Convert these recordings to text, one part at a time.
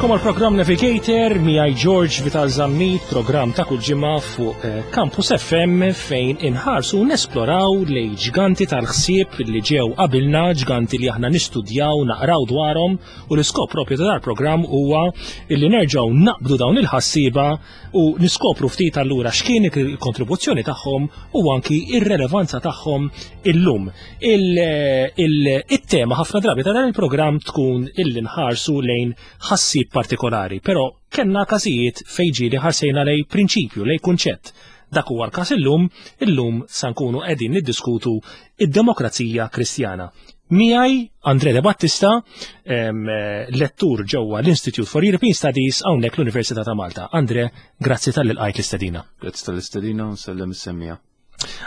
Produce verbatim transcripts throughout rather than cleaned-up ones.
Nilqagħkom għal programm Navigator miegħi George Vital Zammit, programm ta' kull ġimgħa fuq eh, Campus F M fejn inħarsu nesploraw lejn ġganti tal-ħsieb li ġew qabilna, ġganti li aħna nistudjaw, naqraw dwarhom, u l-iskop propju ta' dal-programm huwa illi nerġgħu naqbdu dawn il-ħassiba u niskopru ftit allura x'kien il-kontribuzzjoni tagħhom u anki ir-relevanza tagħhom illum. Il-tema ħafna drabi ta' dan il-programm tkun illi nħarsu lejn ħassib partikolari, però kellna każijiet fejn ġieli ħarsejna lejn prinċipju, lejn kunċett. Dak huwa l-każ illum, illum sa nkunu qegħdin niddiskutu id-demokrazija Kristjana. Miegħi Andre De Battista, em, lettur ġewwa l-Institute for European Studies hawnhekk l-Università ta' Malta. Andre, grazzi talli lqajt l-istedina. Grazzi tal-istedina u nsellem is-semmiegħa.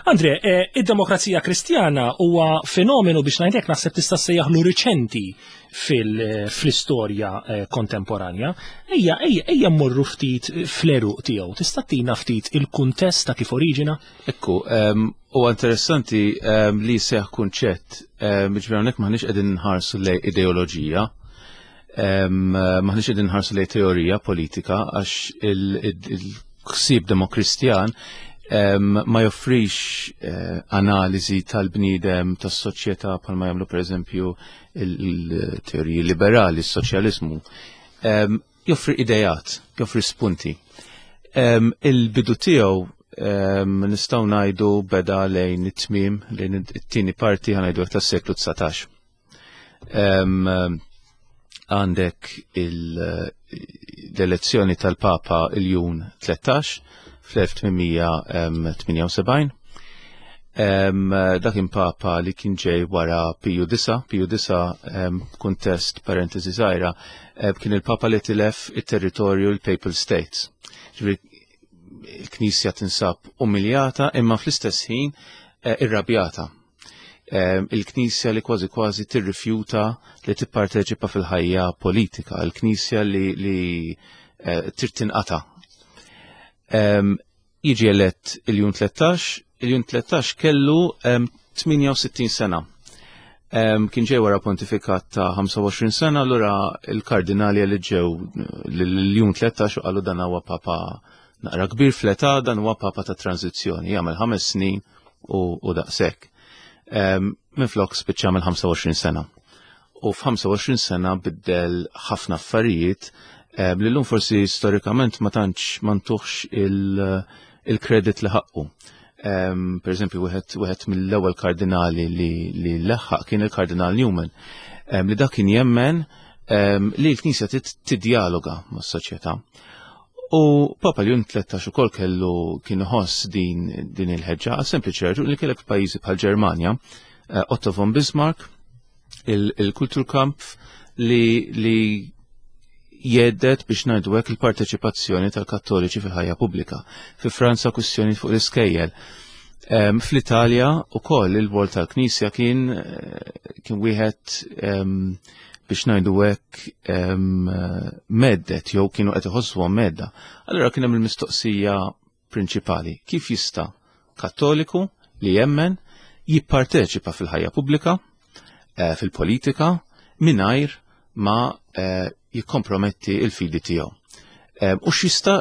Andre, eh, id-demokrazija Kristjana huwa fenomenu, biex ngħidlek, naħseb tista' sejjaħlu riċenti fil-istorja eh, kontemporanja. Ejja, ejja, ejja mmorru ftit fl-għeruq tiegħu. Tista' tina ftit il-kuntest ta' kif oriġina? Ekku, huwa interessanti em, li seħ kunċett, ġifieri hawnhekk maħniex qegħdin nħarsu lejn ideoloġija, em, maħniex qegħdin nħarsu lejn teorija politika, għax il-ħsieb demokristjan em, ma joffrix eh, analiżi tal-bniedem, tas-soċjetà bħalma jagħmlu, pereżempju, il-teoriji liberali, s-soċjaliżmu. Em, Joffri idejat, joffri spunti. Em, Il-bidu tiegħu em, nistgħu ngħidu beda lejn it-tmiem, lejn it-tieni parti, ħa ngħidu, tas-seklu dsatax. Em, Għandek l-elezzjoni tal-Papa il-Jun tlettax fl-elf tmien mija tmienja u sebgħin. Em, Dak kien Papa li kien ġej wara Piju Disa, Piju Disa, em, kuntest, parentesi żgħira, em, kien il-Papa li tilef it-territorju, l-Papal States. Ġifieri il-Knisja tinsab umiljata imma fl-istess ħin eh, irrabjata. Em, Il-Knisja li kważi kważi tirrifjuta li tipparteċipa fil-ħajja politika, il-Knisja li, li eh, trid tinqata'. Em, Jiġi elett il-Jun tlettax, il-Jun tlettax kellu em, tmienja u sittin sena. Em, Kien ġej wara pontifikat ta' ħamsa u għoxrin sena, allura il-kardinali li ġew l-Jun tlettax u qalu: "Dan huwa papa naqra kbir fl-età, dan huwa papa ta' tranzizzjoni, jagħmel ħames snin u, u daqshekk." Em, Minflok spiċċa mill ħamsa u għoxrin sena. U f'ħamsa u għoxrin sena biddel ħafna affarijiet em, li llum forsi storikament ma tantx ma ntuhx il- il-kredit li ħaqqu. Um, per eżempju, wieħed wieħed mill-ewwel kardinali li, li leħħaq kien il-Kardinal Newman, um, li dak kien jemmen um, li l-Knisja tiddialoga mas-soċjetà. U Papa Ljun tlettax ukoll kellu kien iħoss din, din il-ħeġġa, għal sempliċi raġuni li kellek pajjiżi bħal Ġermanja, uh, Otto von Bismarck, il-Kulturkampf li, li jhedded, biex ngħidu hekk, il-parteċipazzjoni tal-Kattoliċi fil-ħajja pubblika. Fi Franza kwistjoni fuq l-iskejjel. Um, Fl-Italja ukoll il-rwol tal-Knisja kien eh, kien wieħed, um, biex ngħidu hekk, um, mhedded jew kienu qed iħossuhom mhedda. Allura kien hemm il-mistoqsija prinċipali: kif jista' Kattoliku li jemmen jipparteċipa fil-ħajja pubblika, eh, fil-politika, mingħajr ma eh, jikkomprometti il-fidi tiegħu? Eh, U x'jista'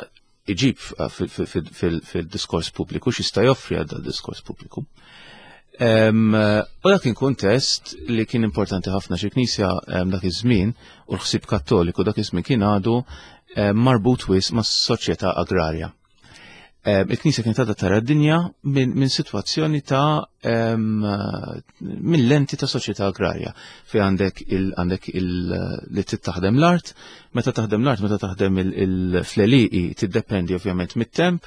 iġib fil-diskors pubbliku, x'jista' joffri għal diskors pubbliku? U dak kien kuntest li kien importanti ħafna xi knisja dak iż-żmien u l-ħsieb Kattoliku dak iż-żmien kien għadu marbut wisq mas-soċjetà agrarja. Il-Knisja kienet għadha tara d-dinja minn min sitwazzjoni ta' minn lenti ta' soċjetà agrarja fi għandek il għandek il li taħdem l-art, meta taħdem l-art, meta taħdem il-fleliqi, tiddependi ovvjament mit-temp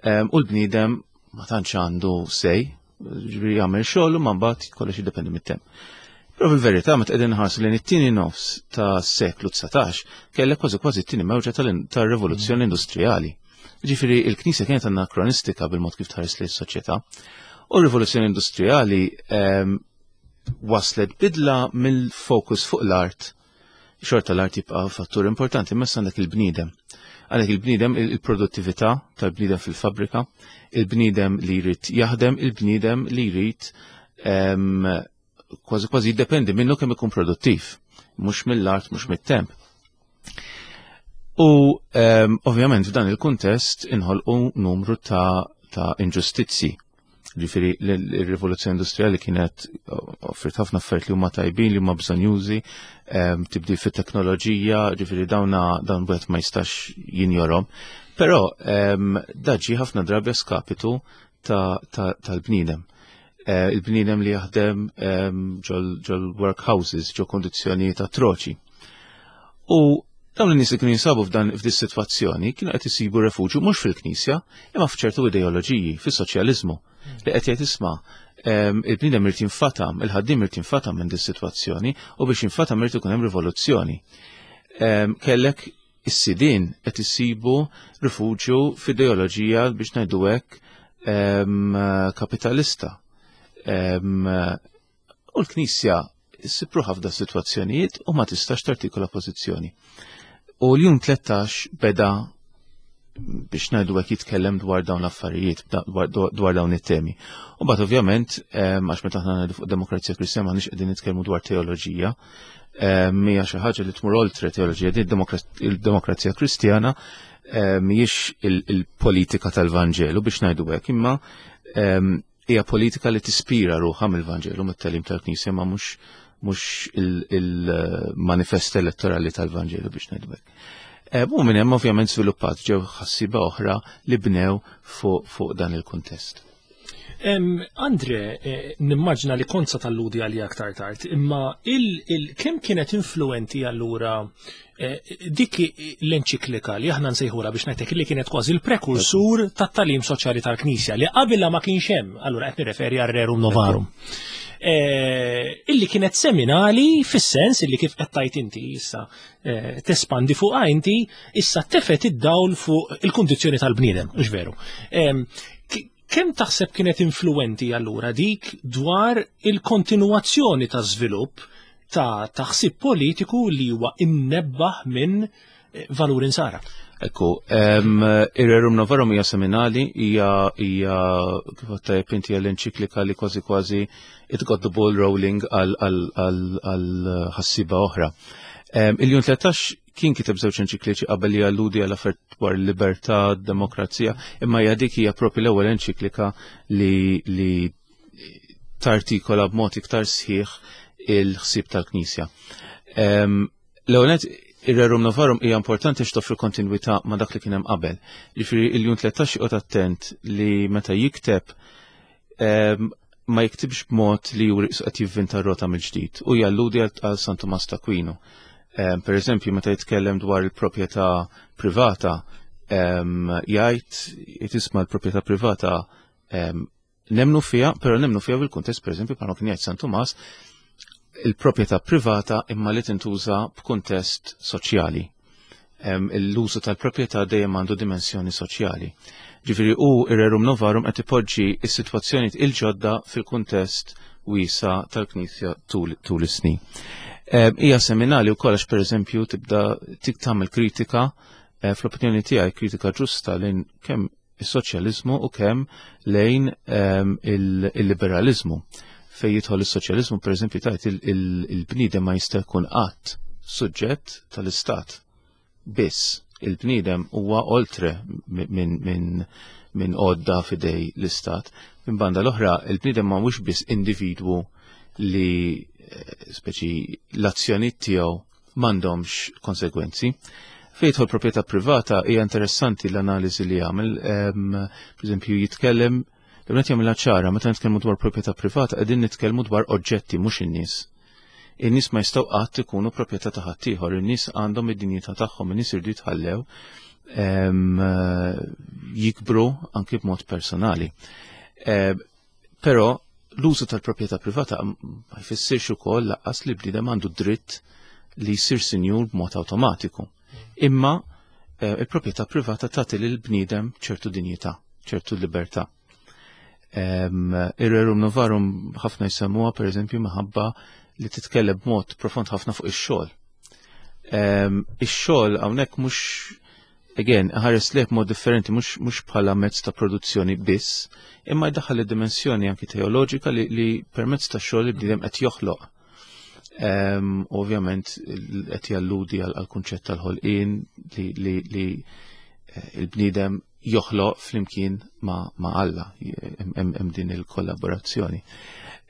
u l-bniedem ma tantx għandu sej, ġifieri jagħmel xogħol u ma mbagħad kollox jiddependi mit-temp. Però fil-verità, meta qegħdin nħarsu lejn it-tieni nofs ta' seklu dsatax, kellek kważi kważi t-tieni mewġa tal-rivoluzzjoni industrijali. Ġifieri il-Knisja kienet anakronistika bil-mod kif tħares lejn is-soċjetà. U r-rivoluzzjoni industrijali waslet bidla mill-fokus fuq l-art. Xorta l-art jibqa' fattur importanti, imma għandek il-bniedem. Għandek il-bniedem, il-produttività tal-bniedem fil-fabrika, il-bniedem li jrid jaħdem, il-bniedem li jrid kważi kważi jiddependi minnu kemm ikun produttiv, mhux mill-art, mhux mit-temp. U um, ovvjament f'dan il-kuntest inħolqu numru ta', ta' inġustizzi. Ġifieri l-rivoluzzjoni industrijali kienet offrit ħafna affarijiet li huma tajbin, li huma bżonjużi, um, tibdil fit-teknoloġija, ġifieri dawna dawn wieħed ma jistax jinjorhom. Però um, dan ġie ħafna drabi a skapitu tal-bniedem. Uh, il-bniedem li jaħdem um, ġol workhouses, ġo kondizzjonijiet atroċi. U dawn in-nies li kienu jinsabu f'dan f'dis sitwazzjoni kienu qed isibu refuġju mhux fil-Knisja, imma f'ċertu ideoloġiji, fis-soċjaliżmu, li qed jgħid, "Isma', il-bniedem irid jinfatam, il-ħaddiem irid jinfatam minn dis sitwazzjoni u biex jinfatam irid ikun hemm rivoluzzjoni." Kellek is-sidin qed isibu rifuġju f'ideoloġija, biex ngħidu hekk, kapitalista. U l-Knisja ssib ruħha f'da sitwazzjonijiet u ma tistax tartikola pożizzjoni. U l-Jum tlettax beda, biex ngħidu hekk, jitkellem dwar dawn l-affarijiet, dwar dawn it-temi. U mbagħad ovvjament, għax meta aħna ngħidu fuq Demokrazija Kristjana m'aħniex qegħdin nitkellmu dwar teoloġija, hija xi ħaġa li tmur oltre teoloġija, din il-Demokrazija Kristjana mhijiex il-politika tal-Vanġelu, biex ngħidu hekk, imma hija politika li tispira ruħha mill-Vanġelu, mit-tagħlim tal-Knisja, ma mhux mhux il-manifest elettorali tal-Vanġelu, biex ngħidu hekk. U minn hemm ovvjament żviluppat ġew ħassiba oħra li bnew fuq fu dan il-kuntest. Andre, eh, nimmaġna li kont sa talludi għalli aktar tard, imma kemm kienet influenti allura eh, dik l-enċiklika li aħna nsejħura, biex ngħidlek, li kienet kważi il-prekursur tat-tagħlim soċjali tal-Knisja li qabilha ma kienx hemm, allura qed nirreferi għal Rerum Novarum. Eh, illi kienet seminali fis-sens illi, kif qed tgħid inti issa, tespandi fuq inti issa, tefet id-dawl fuq il-kundizzjoni tal-bniedem, mhux veru? Kemm taħseb kienet influenti allura dik dwar il-kontinuazzjoni ta' żvilupp ta' taħsib politiku li huwa imnebbaħ minn eh, valur insara? Ekku, ir-Rerum Novarum hija seminali, hija hija kif tajjeb inti l-enċiklika li kważi kważi it got the ball rolling għal ħassiba oħra. Il-Jun tlettax kien kiteb żewġ enċikliċi qabel li alludi għal affarijiet dwar libertà, demokrazija, imma hija dik hija propri l-ewwel enċiklika li, li tartikola b'mod iktar sħiħ il-ħsieb tal-Knisja. L-ewwel, ir-Rerum Novarum hija importanti x'toffri kontinwità ma' dak li kien hemm qabel. Jiġifieri il-Jun tlettax joqgħod attent li meta jikteb ma jiktibx b'mod li juri qed jivvinta r-rota mill-ġdid u jalludi għal San Tumas ta' Aquino. Per eżempju, meta jitkellem dwar il-proprjetà privata, jgħid, "Isma', l-proprjetà privata nemnu fija, però nemnu fija bil-kuntest, per eżempju, bħalma kien jgħid San Tumas, il-proprjetà privata imma li tintuża b'kuntest soċjali. L-użu tal-proprjetà dejjem għandu dimensjoni soċjali." Ġifieri u ir-Rerum Novarum qed ipoġġi is-sitwazzjoni il-ġodda fil-kuntest wiesa tal-Knisja tul is-snin. Hija seminali wkoll għax, pereżempju, tibda tik tagħmel kritika, eh, fl-opinjoni tiegħi kritika ġusta, lejn kemm is-soċjaliżmu u kemm lejn il-liberalizmu. Fej jidħol is-soċjaliżmu, pereżempju, tajt il-bniedem ma jista' jkun qatt suġġett tal-istat. Biss il-bniedem huwa oltre minn min, min għodda f'idejn l-istat. Minn banda l-oħra, il-bniedem ma mhux biss individwu li eh, speċi l-azzjoni tiegħu m'għandhomx konsegwenzi. Fejn jidħol proprjetà privata hija interessanti l-analiżi li jagħmel, per eżempju, jitkellem l jagħmilha ċara: meta nitkellmu dwar proprjetà privata qegħdin nitkellmu dwar oġġetti, mhux in-nies. In-nies ma jistgħu qatt ikunu proprjetà ta' ħaddieħor, in-nies għandhom id-dinjità tagħhom, in-nies irdu jitħallew jikbru anki b'mod personali. Però l-użu tal-proprjetà privata ma jfissirx ukoll lanqas li bniedem għandu dritt li jsir sinjur b'mod awtomatiku. Imma eh, il-proprjetà privata tagħti lil bniedem ċertu dinjità, ċertu libertà. Ir-Rerum Novarum ħafna jsemmuha, per eżempju, minħabba li titkellem b'mod profond ħafna fuq ix-xogħol. Ix-xogħol hawnhekk mhux, again, ħares lejh mod differenti, mhux mhux bħala mezz ta' produzzjoni biss, imma jdaħħal id-dimensjoni anki teoloġika li, li permezz ta' xogħol li bniedem qed joħloq. Ovvjament qed jalludi għal kunċett tal-ħolqien li, li, li eh, il-bniedem joħloq flimkien ma, ma Alla, hemm din il-kollaborazzjoni.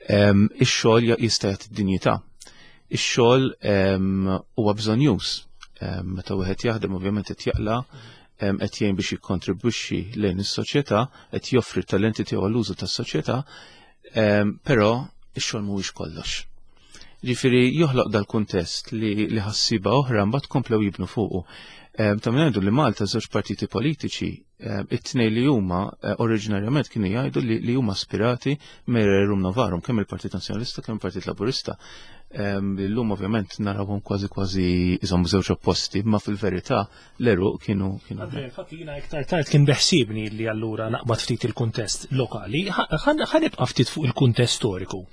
Ix-xogħol jista' jagħti dinjità. Ix-xogħol huwa bżonnjuż. Meta wieħed jaħdem, ovvjament qed jaqla', qed jgħin biex jikkontribwixxi lejn is-soċjetà, qed joffri talenti tiegħu għall-użu tas-soċjetà, però ix-xogħol mhuwiex kollox. Ġifieri joħloq dal-kuntest li, li ħassiba oħra mbagħad komplew jibnu fuqu. Ta' min ngħidu li Malta żewġ partiti politiċi, it-tnejn li huma eh, oriġinarjament kienu jgħidu li, li huma aspirati minn Rerum Novarum, kemm il-Partit Nazzjonalista, kemm il-Partit Laburista. Illum ovvjament narawhom kważi kważi iżom żewġ opposti, ma fil-verità l-għeruq kienu kienu. Andrea, infatti jiena iktar tard kien beħsiebni li allura naqbad ftit il-kuntest lokali, ħa nibqa' ftit fuq il-kuntest storiku.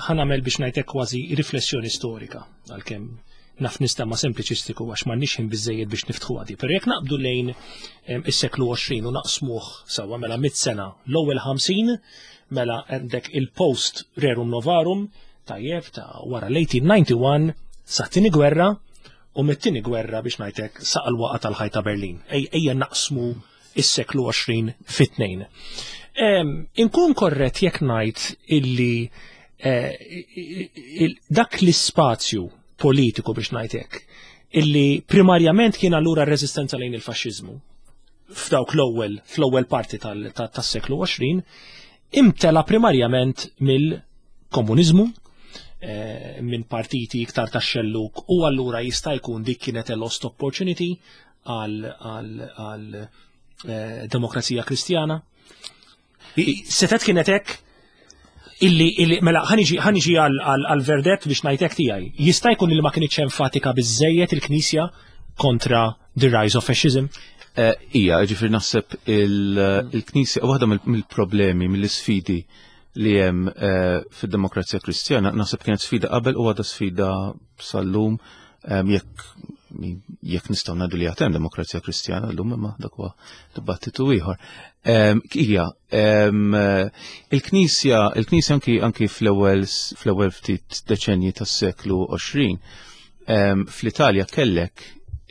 Ħa nagħmel biex ngħidlek kważi riflessjoni storika, għalkemm naf nista' ma sempliċistiku għax m'għandniex ħin biżejjed biex niftħu għadi. Però jekk naqbdu lejn is-seklu għoxrin u naqsmuh sewwa, mela mit sena, l-ewwel ħamsin, mela għandek il-post Rerum Novarum, tajjeb, ta' wara l-elf disa' mija u wieħed u disgħin sa' tieni gwerra u mit-tieni gwerra biex ngħidlek sa' l-waqa tal-ħajta Berlin. Ejja naqsmu is-seklu għoxrin fit-tnejn. Inkun korrett jekk ngħid illi eh, dak l-ispazju politiku biex ngħidlek illi primarjament kien allura r-reżistenza lejn il-faxxiżmu f'dawk l-ewwel fl-ewwel parti tas-seklu għoxrin imtela primarjament mill-komuniżmu, eh, minn partiti iktar tax-xelluk, u allura jista' jkun dik kienet a lost opportunity għal, għal, għal eh, Demokrazija Kristjana. Setet kienet hekk illi, illi mela ħa niġi għal verdett biex ngħidlek tiegħi. Jista' jkun li ma kienx enfatika biżejjed il-Knisja kontra the rise of fascism? Eh, ija, ġifieri naħseb il-Knisja, waħda mill-problemi, mill-sfidi li hemm eh, fid-Demokrazija Kristjana, naħseb kienet sfida qabel u għadha sfida sal-lum, jekk jekk nistgħu ngħidu li għad hemm Demokrazija Kristjana llum, imma dak huwa dibattitu ieħor. Ija, il-Knisja, il-Knisja anki anki fl-ewwel fl-ewwel ftit deċenji tas-seklu għoxrin, fl-Italja kellek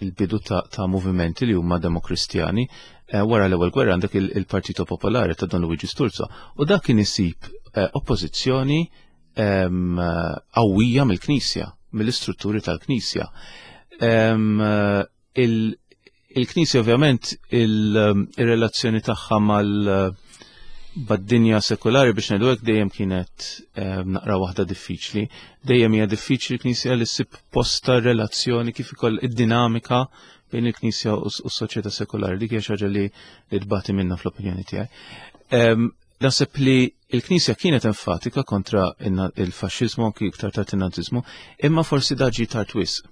il-bidu ta', ta movimenti li huma demokristjani. eh, wara l-ewwel gwerra għandek il-Partito Popolare ta' Don Luigi Sturzo u dak kien isib eh, oppożizzjoni qawwija mill-Knisja, mill-istrutturi tal-Knisja. Il-Knisja ovvjament il-relazzjoni tagħha mal bad-dinja sekulari, biex ngħidu hekk, dejjem kienet naqra waħda diffiċli. Dejjem hija diffiċli l-Knisja li ssib posta relazzjoni kif ikoll id-dinamika bejn il-Knisja u s-soċjetà sekulari. Dik hija xi ħaġa li tbati minna fl-opinjoni tiegħi. Naħseb li il-Knisja kienet enfatika kontra il-faxxiżmu, anki iktar tard in-naziżmu, imma forsi dan ġie tard wisq.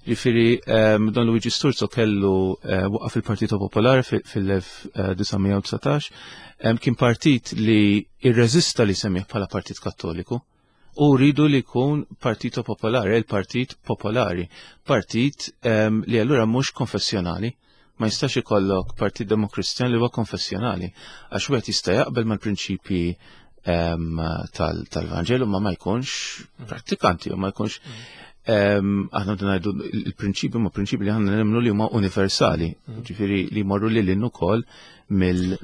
Ġifieri, Don Luigi Sturzo kellu eh, waqaf il-Partito Popolare fil-elf disa' mija u dsatax, kien partit li irreżista li semmih bħala Partit Kattoliku u riedu li jkun Partito Popolare, il-Partit Popolari, partit li allura mhux konfessjonali. Ma jistax ikollok partit demokristjan li huwa konfessjonali, għax wieħed jista' jaqbel mal-prinċipji tal-Vanġelu ma ma jkunx prattikanti u ma jkunx. Aħna ngħidu il-prinċipi ma prinċipi li aħna nemmnu li huma universali, ġifieri li jmorru lil hinn ukoll mill.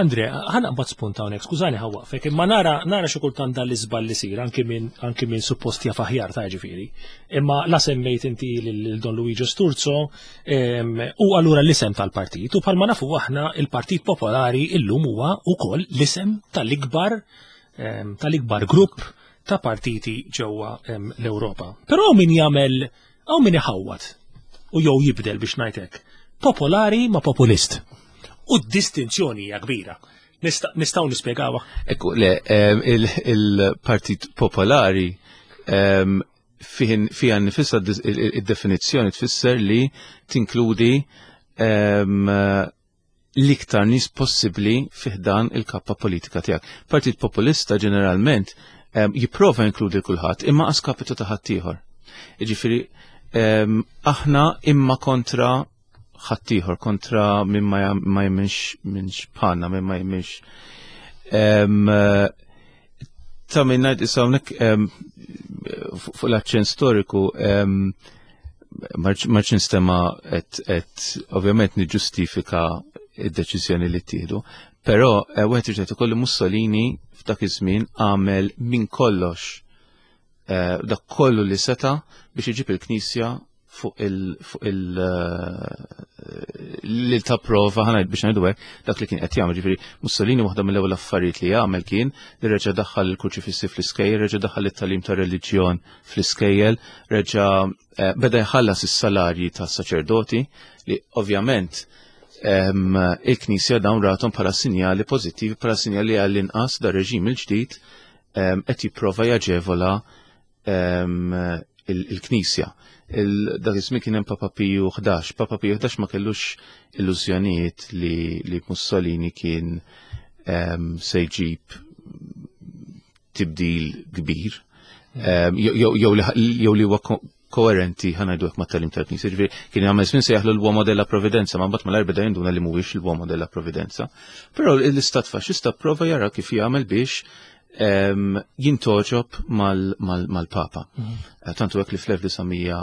Andre, ħa naqbad spunt hawnhekk, skużani ħa nwaqqfek, imma nara nara xi kultant dan l-iżball li sir anki minn anki minn suppost jaf aħjar ta' ġifieri. Imma la semmejt inti lil Don Luigi Sturzo u allura l-isem tal-partit u bħalma nafu aħna il-Partit Popolari illum huwa wkoll l-isem tal-ikbar tal-ikbar grupp ta' partiti ġewwa l-Ewropa. Però min jagħmel hawn min iħawwad u jew jibdel biex ngħidlek popolari ma' populist. U d-distinzjoni hija kbira. Nistgħu nispjegawha. Ekku, le, il-Partit Popolari fiha nifisha id-definizzjoni tfisser li tinkludi l-iktar nies possibbli fi ħdan il-kappa politika tiegħek. Partit Populista ġeneralment jipprova jinkludi kulħadd imma a skapitu ta' ħaddieħor. Jiġifieri aħna imma kontra ħaddieħor, kontra min ma jemminx minx bħalna, min ma jemminx. Ta' min ngħid issa hawnhekk fuq l-aċċent storiku, marċ nistema et ovvjament niġġustifika id-deċiżjoni li ttieħdu, però wieħed irid ikollu Mussolini f'dak iż-żmien għamel minn kollox, dak kollu li seta' biex iġib il-Knisja fuq il fuq il li ta' prova ħana biex ngħidu hekk dak li kien qed jagħmel. Ġifieri Mussolini waħda mill-ewwel affarijiet li jagħmel kien li reġa' daħħal il-kurċifissi fl-iskejjel, reġa' daħħal it-tagħlim ta' reliġjon fl-iskejjel, reġa' beda jħallas is-salarji tas-saċerdoti li ovvjament il-Knisja dawn rathom bħala sinjali pożittivi, bħala sinjali għall-inqas da reġim il-ġdid qed jipprova jaġevola il-Knisja. Dak iż-żmien kien hemm Papa Piju ħdax. Papa Piju ħdax ma kellux illużjonijiet li, li Mussolini kien um, se jġib tibdil kbir, um, jew li huwa koerenti ħa ngħidu hekk mat-tagħlim tal-Knisja. Ġifieri kien jagħmel żmien sejjaħlu l-uomo della provvidenza, ma mbagħad mal beda jinduna li mhuwiex l-uomo della provvidenza. Però l-Istat Faxxista prova jara kif jagħmel biex jintgħoġob mal-Papa. Tantu hekk li fl-elf disa' mija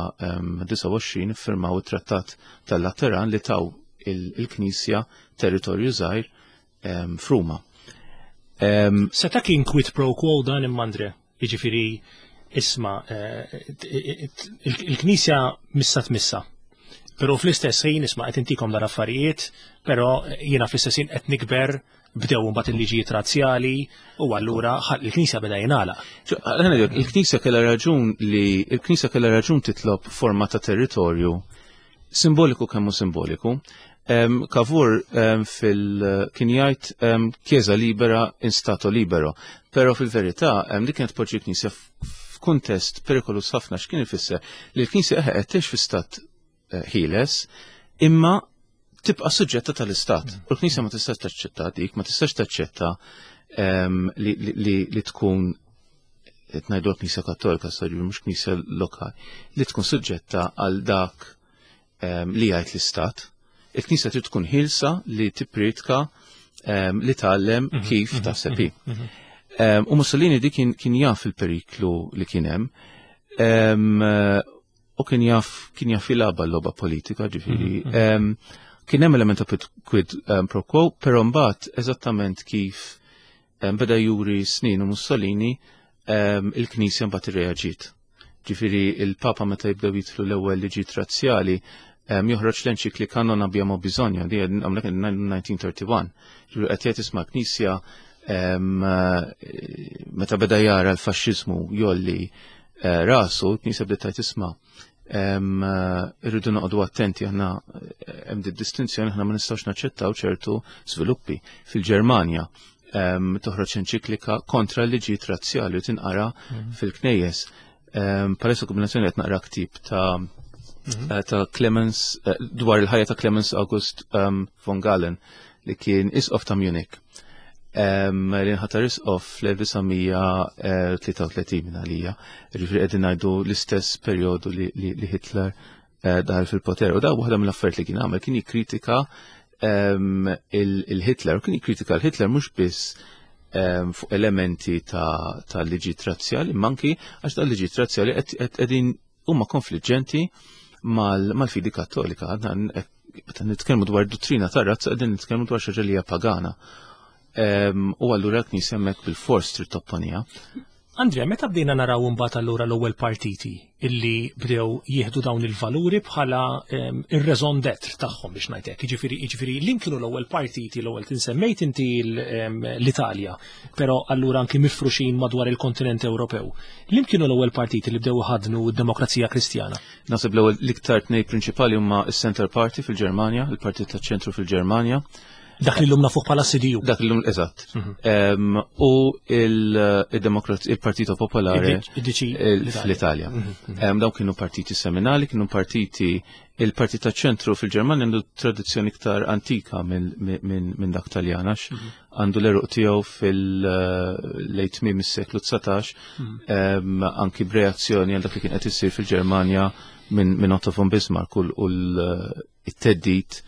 disgħa u għoxrin iffirmaw it-Trattat tal-Lateran li taw il-Knisja territorju żgħir f'Ruma. Seta' kien quid pro quo dan imma, Andre, jiġifieri isma' il-Knisja missa tmissa. Però fl-istess ħin isma' qed intikom dar affarijiet, però jiena fl-istess ħin qed nikber, bdew mbagħad il-liġijiet razzjali u allura il-Knisja beda jingħalaq. Il-Knisja kellha raġun li il-Knisja kellha raġun titlob forma ta' territorju simboliku kemm hu simboliku. Cavour fil kien jgħid Chiesa libera in stato libero, però fil-verità li kienet poġġi l-Knisja f'kuntest perikolus ħafna. X'kien ifisser li l-Knisja qed tgħix fi stat ħieles imma tibqa' suġġetta tal-istat. U l-Knisja ma tistax taċċetta dik, ma tistax taċċetta li tkun qed ngħidu l-Knisja Kattolika, sorry, mhux Knisja lokali, li tkun suġġetta għal dak li jgħid l-istat. Il-Knisja trid tkun ħielsa li tippriedka, li tgħallem kif taħseb hi. U Mussolini dik kien jaf il-periklu li kien hemm. U kien jaf, kien jaf jilgħabha l-logħba politika, ġifieri. Kien hemm element ta' quid pro quo, però mbagħad eżattament kif beda juri snin u Mussolini, il-Knisja mbagħad irreaġiet. Ġifieri il-Papa meta jibdew jidħlu l-ewwel liġijiet razzjali, joħroġ l-enċiklika Non abbiamo bisogno, di hawnhekk nineteen thirty-one. Ġifieri qed jgħid isma' Knisja, meta beda jara l-faxxiżmu jolli rasu, l-Knisja bdiet tgħid isma' irridu noqogħdu attenti, aħna hemm di distinzjoni, aħna ma nistgħux naċċettaw ċertu żviluppi. Fil-Ġermanja toħroġ enċiklika kontra l-liġijiet razzjali u tinqara fil-knejjes. Palissa kombinazzjoni qed naqra ktieb ta' ta' Clemens, dwar il-ħajja ta' Clemens August von Galen li kien isqof ta' Munich. Li nħatar isqof fl-elf disa' mija tlieta u tletin minn għalija. Ġifieri qegħdin ngħidu l-istess perjodu li, li, li Hitler daħal fil-poter. U da waħda mill-affarijiet li kien għamel kien jikkritika il-Hitler, u kien jikkritika l-Hitler mhux biss fuq elementi ta', ta' liġi razzjali, imma anki għax ta' liġi razzjali qegħdin huma konfliġġenti mal-fidi kattolika. Għadna meta nitkellmu dwar dottrina ta' razza qegħdin nitkellmu dwar xi ħaġa li hija pagana. U allura l-Knisja hemmhekk bil-fors trid topponija. Andrea, meta bdejna naraw imbagħad allura l-ewwel partiti illi bdew jieħdu dawn il-valuri bħala ir-raison d'être tagħhom biex ngħid hekk. Jiġifieri, jiġifieri li kienu l-ewwel partiti, l-ewwel tinsemmejt inti l-Italja, però allura anki mifruxin madwar il-kontinent Ewropew. Li kienu l-ewwel partiti li bdew iħadnu d-demokrazija Kristjana? Naħseb l-ewwel l-iktar tnejn prinċipali huma s-Center Party fil-Ġermanja, il-Partit taċ-Ċentru fil-Ġermanja. Dak li l-lum nafuh bħala C D U. Dak li l-lum, eżatt. Em, u il-Demokrat-, il-Partito Popolare Il-D C il-, fl-Italja. Mhm. Em, dawn kienu partiti seminali, kienu partiti, il-Partit taċ-Ċentru fil-Ġermanja għandu tradizzjoni iktar antika minn, minn, minn dak Taljan, għax Mhm. għandu l-eruq tiegħu fil-lejt tmiem is-seklu dsatax, Mhm. em, anki b'reazzjoni għal dak li kien qed isir fil-Ġermanja minn, minn Otto von Bismarck u l-, u l-, it-teddid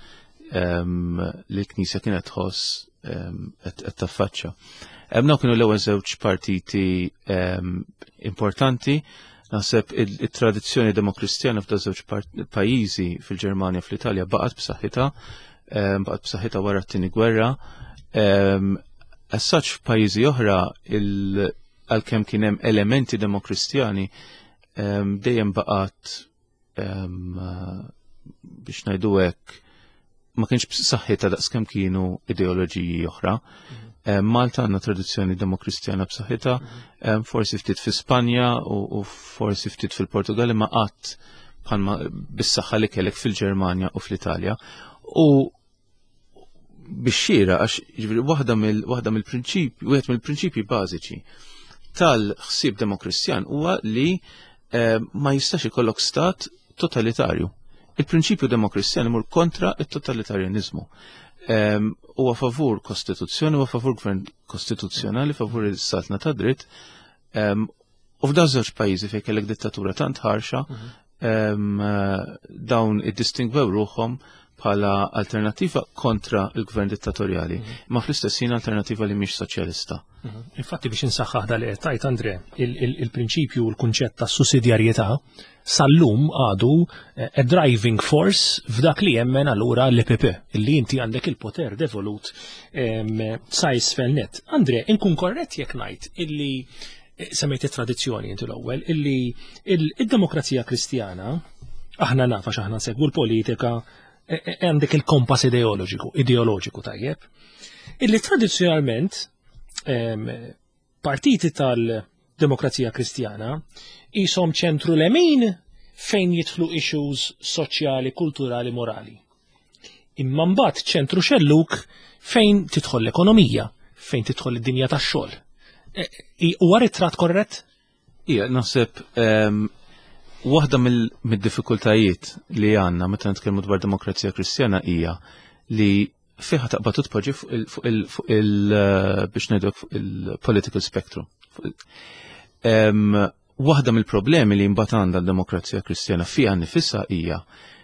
um, li l-Knisja kienet tħoss um, qed taffaċċa. Dawn kienu l-ewwel żewġ partiti um, importanti. Naħseb il-tradizzjoni demokristjana f'da żewġ pajjiżi, fil-Ġermanja, fl-Italja, baqgħet b'saħħitha, baqgħet b'saħħitha wara t-tieni gwerra. As such, f'pajjiżi oħra, għalkemm kien hemm elementi demokristjani, dejjem baqgħet, biex ngħidu hekk, ma kienx b'saħħitha daqskemm kienu ideoloġiji oħra. Mhm. Malta għandna tradizzjoni demokristjana b'saħħitha, mhm. forsi ftit fi Spanja u forsi ftit fil-Portugal, ma qatt bħalma bis-saħħa li kellek fil-Ġermanja u fl-Italja. U bix-xieraq, għax ġifieri waħda mill waħda mill-prinċipji, wieħed mill-prinċipji bażiċi tal-ħsieb demokristjan huwa li eh, ma jistax ikollok stat totalitarju. Il-prinċipju demokristjan imur kontra it-totalitarjanizmu. Huwa favur kostituzzjoni, huwa favur gvern kostituzzjonali, favur il-saltna ta' dritt. U f'da żewġ pajjiżi fejn kellek dittatura tant ħarxa, mhm. dawn iddistingwew ruħhom bħala alternativa kontra il-gvern dittatorjali, mhm. ma fl-istess ħin alternativa li mhix soċjalista. Mhm. Infatti, biex insaħħaħ dal li tajt, Andre, il-prinċipju u l-kunċett ta' sussidjarjetà sal-lum għadu eh, a driving force f'dak li jemmen allura l-E P P, illi inti għandek il-poter devolut sa isfel net. Andre, inkun korrett jekk ngħid illi eh, semmejt it-tradizzjoni inti l-ewwel, illi il-demokrazija kristjana, aħna nafa x'aħna nsegwu l-politika, e, e, għandek il-kompass ideoloġiku, ideoloġiku tajjeb, illi tradizzjonalment partiti tal-demokrazija kristjana jisom ċentru lemin fejn jidħlu issues soċjali, kulturali, morali. Imma mbagħad ċentru xelluk fejn tidħol l-ekonomija, fejn tidħol id-dinja tax-xogħol. E, huwa ritratt korrett? Ija, naħseb waħda mill-diffikultajiet li għandna meta nitkellmu dwar demokrazija kristjana hija li fiha taqbad tpoġġi fuq il fuq il biex ngħidu fuq il-political spectrum. Waħda mill-problemi li mbagħad għandha l-demokrazija kristjana fiha nifisha hija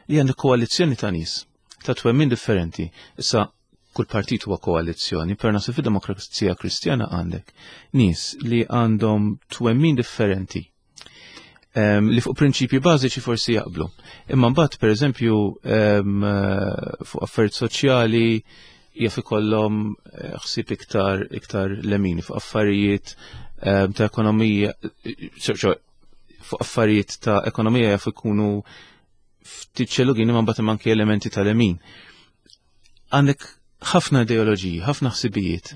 li għandha koalizzjoni ta' nies ta' twemmin differenti. Issa kull partit huwa koalizzjoni, per naħseb fid-demokrazija kristjana għandek nies li għandhom twemmin differenti um, li fuq prinċipji bażiċi forsi jaqblu. Imma mbagħad, pereżempju, um, fuq affarijiet soċjali jaf ikollhom eh, ħsieb iktar iktar lemini, fuq affarijiet um, ta' ekonomija, fuq affarijiet ta' ekonomija jaf ikunu ftit xellugin, imma mbagħad anke elementi tal-lemin. Għandek ħafna ideoloġiji, ħafna ħsibijiet.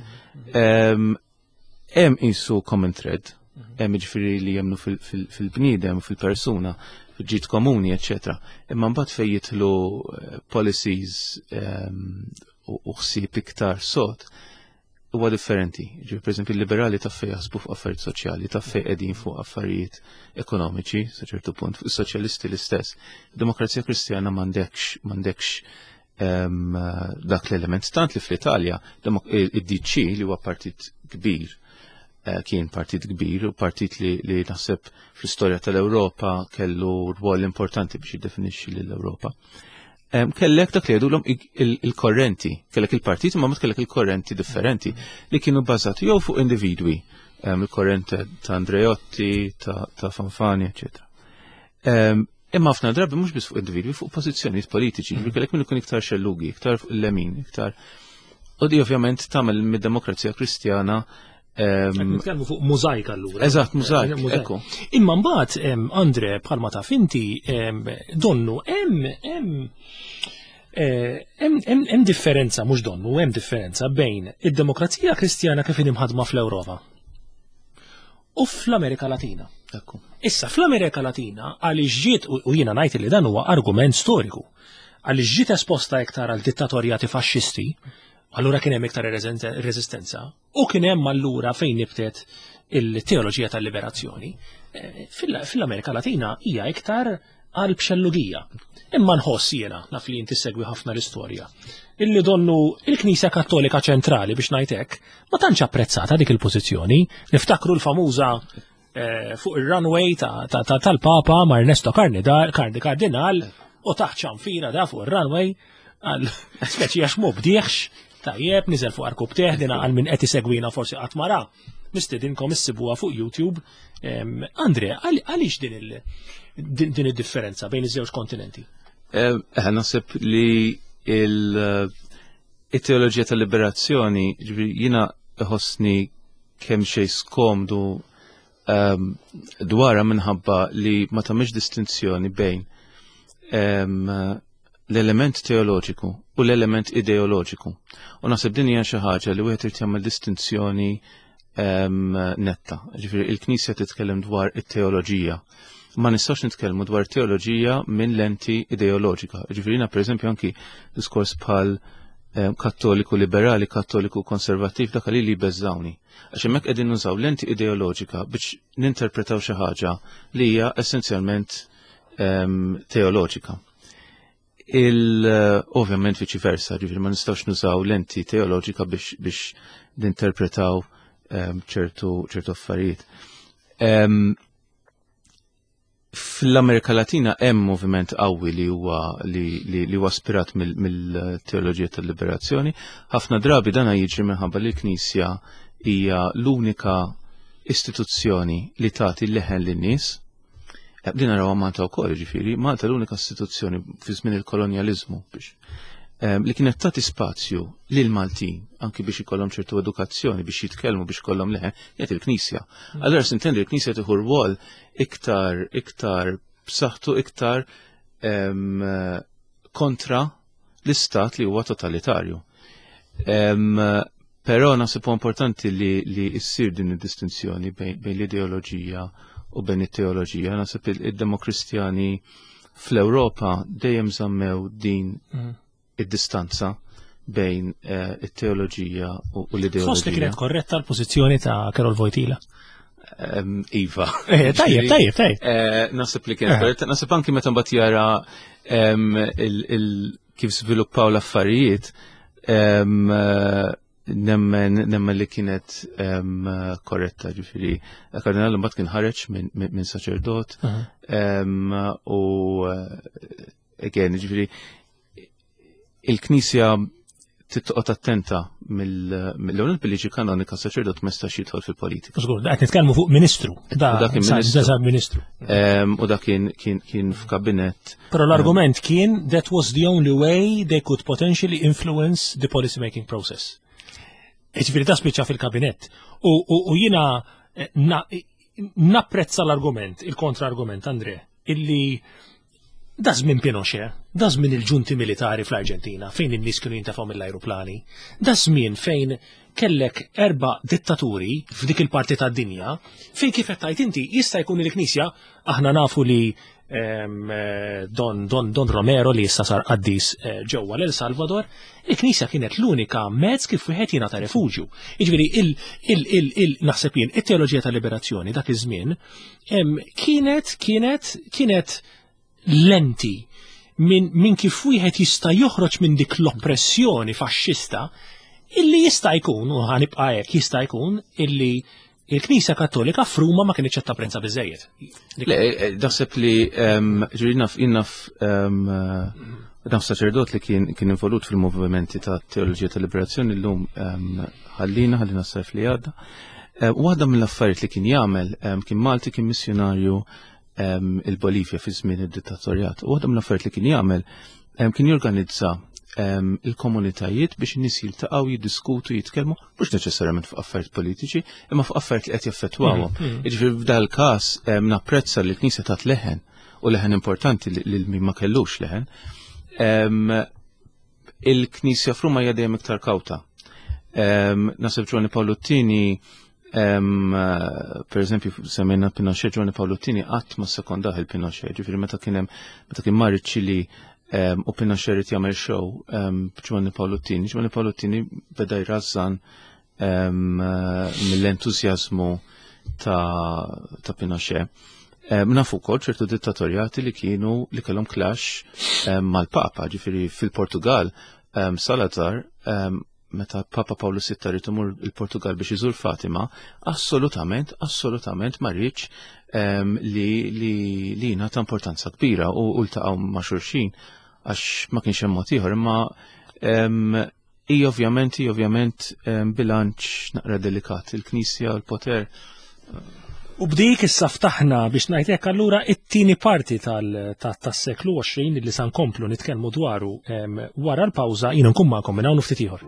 Hemm qisu common thread, hemm ġifieri li jemmnu fil-bniedem, fil-persuna, fil-ġid komuni, eċetera. Imma mbagħad fejn jidħlu eh, policies u ħsieb iktar sod, huwa differenti. Ġifieri, pereżempju, il-liberali taf fejn jaħsbu fuq affarijiet soċjali, taf fejn qegħdin fuq affarijiet ekonomiċi, sa ċertu punt, fuq is-soċjalisti l-istess. Demokrazija Kristjana m'għandekx m'għandekx dak l-element. Tant li fl-Italja id-D C, li huwa partit kbir, eh, kien partit kbir u partit li, li naħseb fl-istorja tal-Ewropa kellu rwol importanti biex jiddefinixxi lill-Ewropa. Kellek dak li jgħidulhom il-korrenti, kellek il-partit ma kellek il-korrenti differenti li kienu bbażati jew fuq individwi, il-korrente ta' Andreotti, ta', ta Fanfani, eċċetera. Imma ħafna drabi mhux biss fuq individwi, fuq pożizzjonijiet politiċi, mm. kellek min ikun iktar xellugi, iktar fuq il-lemin, iktar. U di ovvjament tagħmel mid-demokrazija kristjana. Nitkellmu fuq mużajk allura. Eżatt, mużajk, ekku. Imma mbagħad, Andre, bħalma taf inti, donnu hemm hemm eh, hemm differenza, mhux donnu, hemm differenza bejn id-demokrazija kristjana kif imħadma fl-Ewropa u fl-Amerika Latina. Ekku. Issa fl-Amerika Latina, għaliex ġiet, u jiena ngħid li dan huwa argument storiku, għaliex ġiet esposta iktar għal dittatorjati faxxisti, allura kien hemm iktar reżistenza u kien hemm allura fejn nibtet il-teoloġija tal-liberazzjoni. Eh, fil-Amerika Latina hija iktar għal bxellugija. Imma nħoss jiena, naf li inti segwi ħafna l-istorja, illi donnu il-Knisja Kattolika ċentrali, biex ngħidlek, ma tantx apprezzata dik il-pożizzjoni. Niftakru l-famuża eh, fuq il-runway tal-Papa ma' Ernesto Cardinal. U taħt ċanfira da fuq ir-runway, għal speċi għax mu bdieħx, tajjeb, niżel fuq għarkupptejh, dina għal min qed isegwina forsi qatt ma ra. Nistedinkom issibuha fuq YouTube. Andre, għaliex din il- din id-differenza bejn iż-żewġ kontinenti? Eh, naħseb li il-teoloġija tal-liberazzjoni, jiena ħossni kemm xejn skomdu um, dwarha minħabba li ma tagħmilx distinzjoni bejn um, l-element teoloġiku u l-element ideoloġiku. U naħseb din hija xi ħaġa li wieħed irid jagħmel distinzjoni um, netta. Ġifieri il-Knisja titkellem dwar it-teoloġija. Ma nistax nitkellmu dwar teoloġija minn lenti ideoloġika. Ġifieri jiena, pereżempju, anki diskors bħal kattoliku liberali, kattoliku konservattiv, dak li li beżżawni. Għax hemmhekk qegħdin nużaw lenti ideoloġika biex ninterpretaw xi ħaġa li hija essenzjalment um, teoloġika. Il ovvjament viċi versa, ġifieri ma nistgħux nużaw lenti teoloġika biex biex ninterpretaw ċertu ċertu affarijiet. Um, Fl-Amerika Latina hemm moviment qawwi li huwa li, li, li huwa ispirat mill-teoloġija tal-liberazzjoni. Ħafna drabi dana jiġri minħabba li l-Knisja hija l-unika istituzzjoni li tagħti leħen lin-nies. Din naraw Malta wkoll, ġifieri, Malta l-unika istituzzjoni fi żmien il-kolonjaliżmu biex li kienet tagħti spazju lil Maltin anki biex ikollhom ċertu edukazzjoni, biex jitkellmu, biex ikollhom leħen, kienet il-Knisja. Allura s'intendi l-Knisja tieħu rwol iktar iktar b'saħħtu, iktar kontra l-istat li huwa totalitarju. Però naħseb importanti li li issir din id-distinzjoni bejn l-ideoloġija u bejn it-teoloġija. Naħseb id-Demokristjani fl-Ewropa dejjem żammew din id-distanza bejn it-teoloġija u l-ideoloġija. Tħoss li kienet korretta l-pożizzjoni ta' Karol Wojtyla? Iva. Tajjeb, tajjeb, tajjeb. Naħseb li kienet korretta, naħseb anki meta mbagħad jara kif żviluppaw l-affarijiet, nemmen nemmen li kienet korretta, ġifieri. Kardinal mbagħad kien ħareġ minn saċerdot u again, ġifieri, il-Knisja titqgħod attenta mill-ewwel bil-liġi kanonika saċerdot ma jistax jidħol fil-politika. Żgur, qed nitkellmu fuq ministru. Da dak kien ministru. Ministru. U dak kien kien f'kabinett. Però l-argument kien that was the only way they could potentially influence the policy making process. Ġifieri da spiċċa fil-kabinett. U jiena napprezza l-argument, il-kontra-argument, Andre, illi da żmien Pinochet, da żmien il-ġunti militari fl-Arġentina, fejn in-nies kienu jintefgħu mill-ajruplani, da żmien fejn kellek erba' dittaturi f'dik il-parti tad-dinja, fejn kif qed tgħid inti jista' jkun il-Knisja, aħna nafu li Don, Don, Don Romero li issa sar qaddis ġewwa l-El Salvador, il-Knisja kienet l-unika mezz kif wieħed jingħata refuġju. Jiġifieri il, il, il, il, naħseb jien it-teoloġija tal-liberazzjoni dak iż-żmien kienet kienet kienet lenti minn min kif wieħed jista' joħroġ minn dik l-oppressjoni faxxista illi jista' jkun, u ħanibqa' hekk, jista' jkun illi il-Knisja Kattolika f'Ruma ma kienx qed tapprezza biżejjed. Le, naħseb li ġifieri naf naf naf saċerdot li kien kien involut fil-movimenti ta' teoloġija tal-liberazzjoni llum ħallina ħallina s-sajf li għadda. Waħda mill-affarijiet li kien jagħmel, kien Malti, kien missjonarju il-Bolivja fi żmien id-dittatorjat. U waħda mill-affarijiet li kien jagħmel kien jorganizza il-komunitajiet biex in-nies jiltaqgħu, jiddiskutu, jitkellmu, mhux neċessarjament fuq affarijiet politiċi, imma fuq affarijiet li qed jaffettwawhom. Jiġifieri f'dal każ napprezza li l-Knisja tat leħen, u leħen importanti li min ma kellux leħen. Il-Knisja f'Ruma hija dejjem iktar kawta. Naħseb Giovanni Paolo Tieni, per eżempju, semmejna Pinochet, Giovanni Paolo Tieni qatt ma sekondaħ il-Pinochet, ġifieri meta kien hemm, meta kien mar iċ-Ċili u Pinochet irid jagħmel show b'Giovanni Paolo Tieni, Giovanni Paolo Tieni beda jrażżan mill-entużjażmu ta', ta' Pinochet. Nafu wkoll ċertu dittatorjati li kienu li kellhom clash mal-Papa, ġifieri fil-Portugal Salazar meta Papa Pawlu Sitta ried imur il-Portugal biex iżur Fatima, assolutament, assolutament ma rridx li li li ta' importanza kbira u ltaqgħu ma' xulxin għax ma kienx hemm mod ieħor, imma hi ovvjament hi ovvjament bilanċ naqra delikat, il-Knisja u l-poter. U b'dik issa ftaħna biex ngħidlek allura it-tieni parti tas-seklu għoxrin li sa nkomplu nitkellmu dwaru wara l-pawża. Jiena nkun magħkom minn hawn ftit ieħor.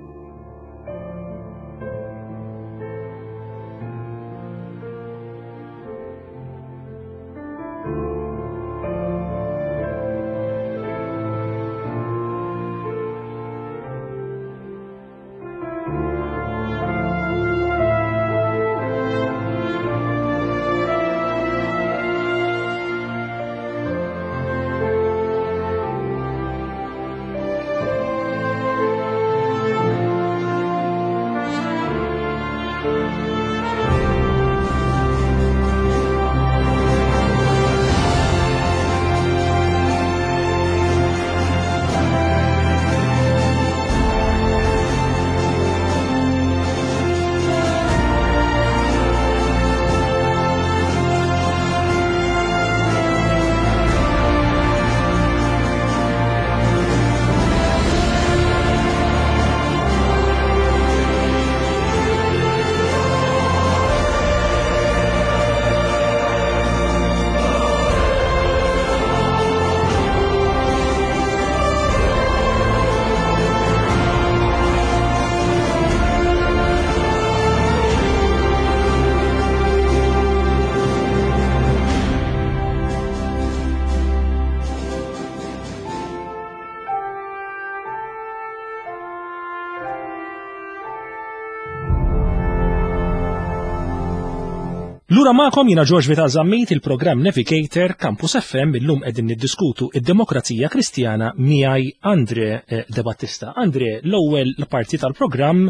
Lura magħkom jiena George Vital Zammit, il-programm Navigator Campus F M. Illum qegħdin niddiskutu id-demokrazija kristjana miegħi Andre De Battista. Andre, l-ewwel parti tal-programm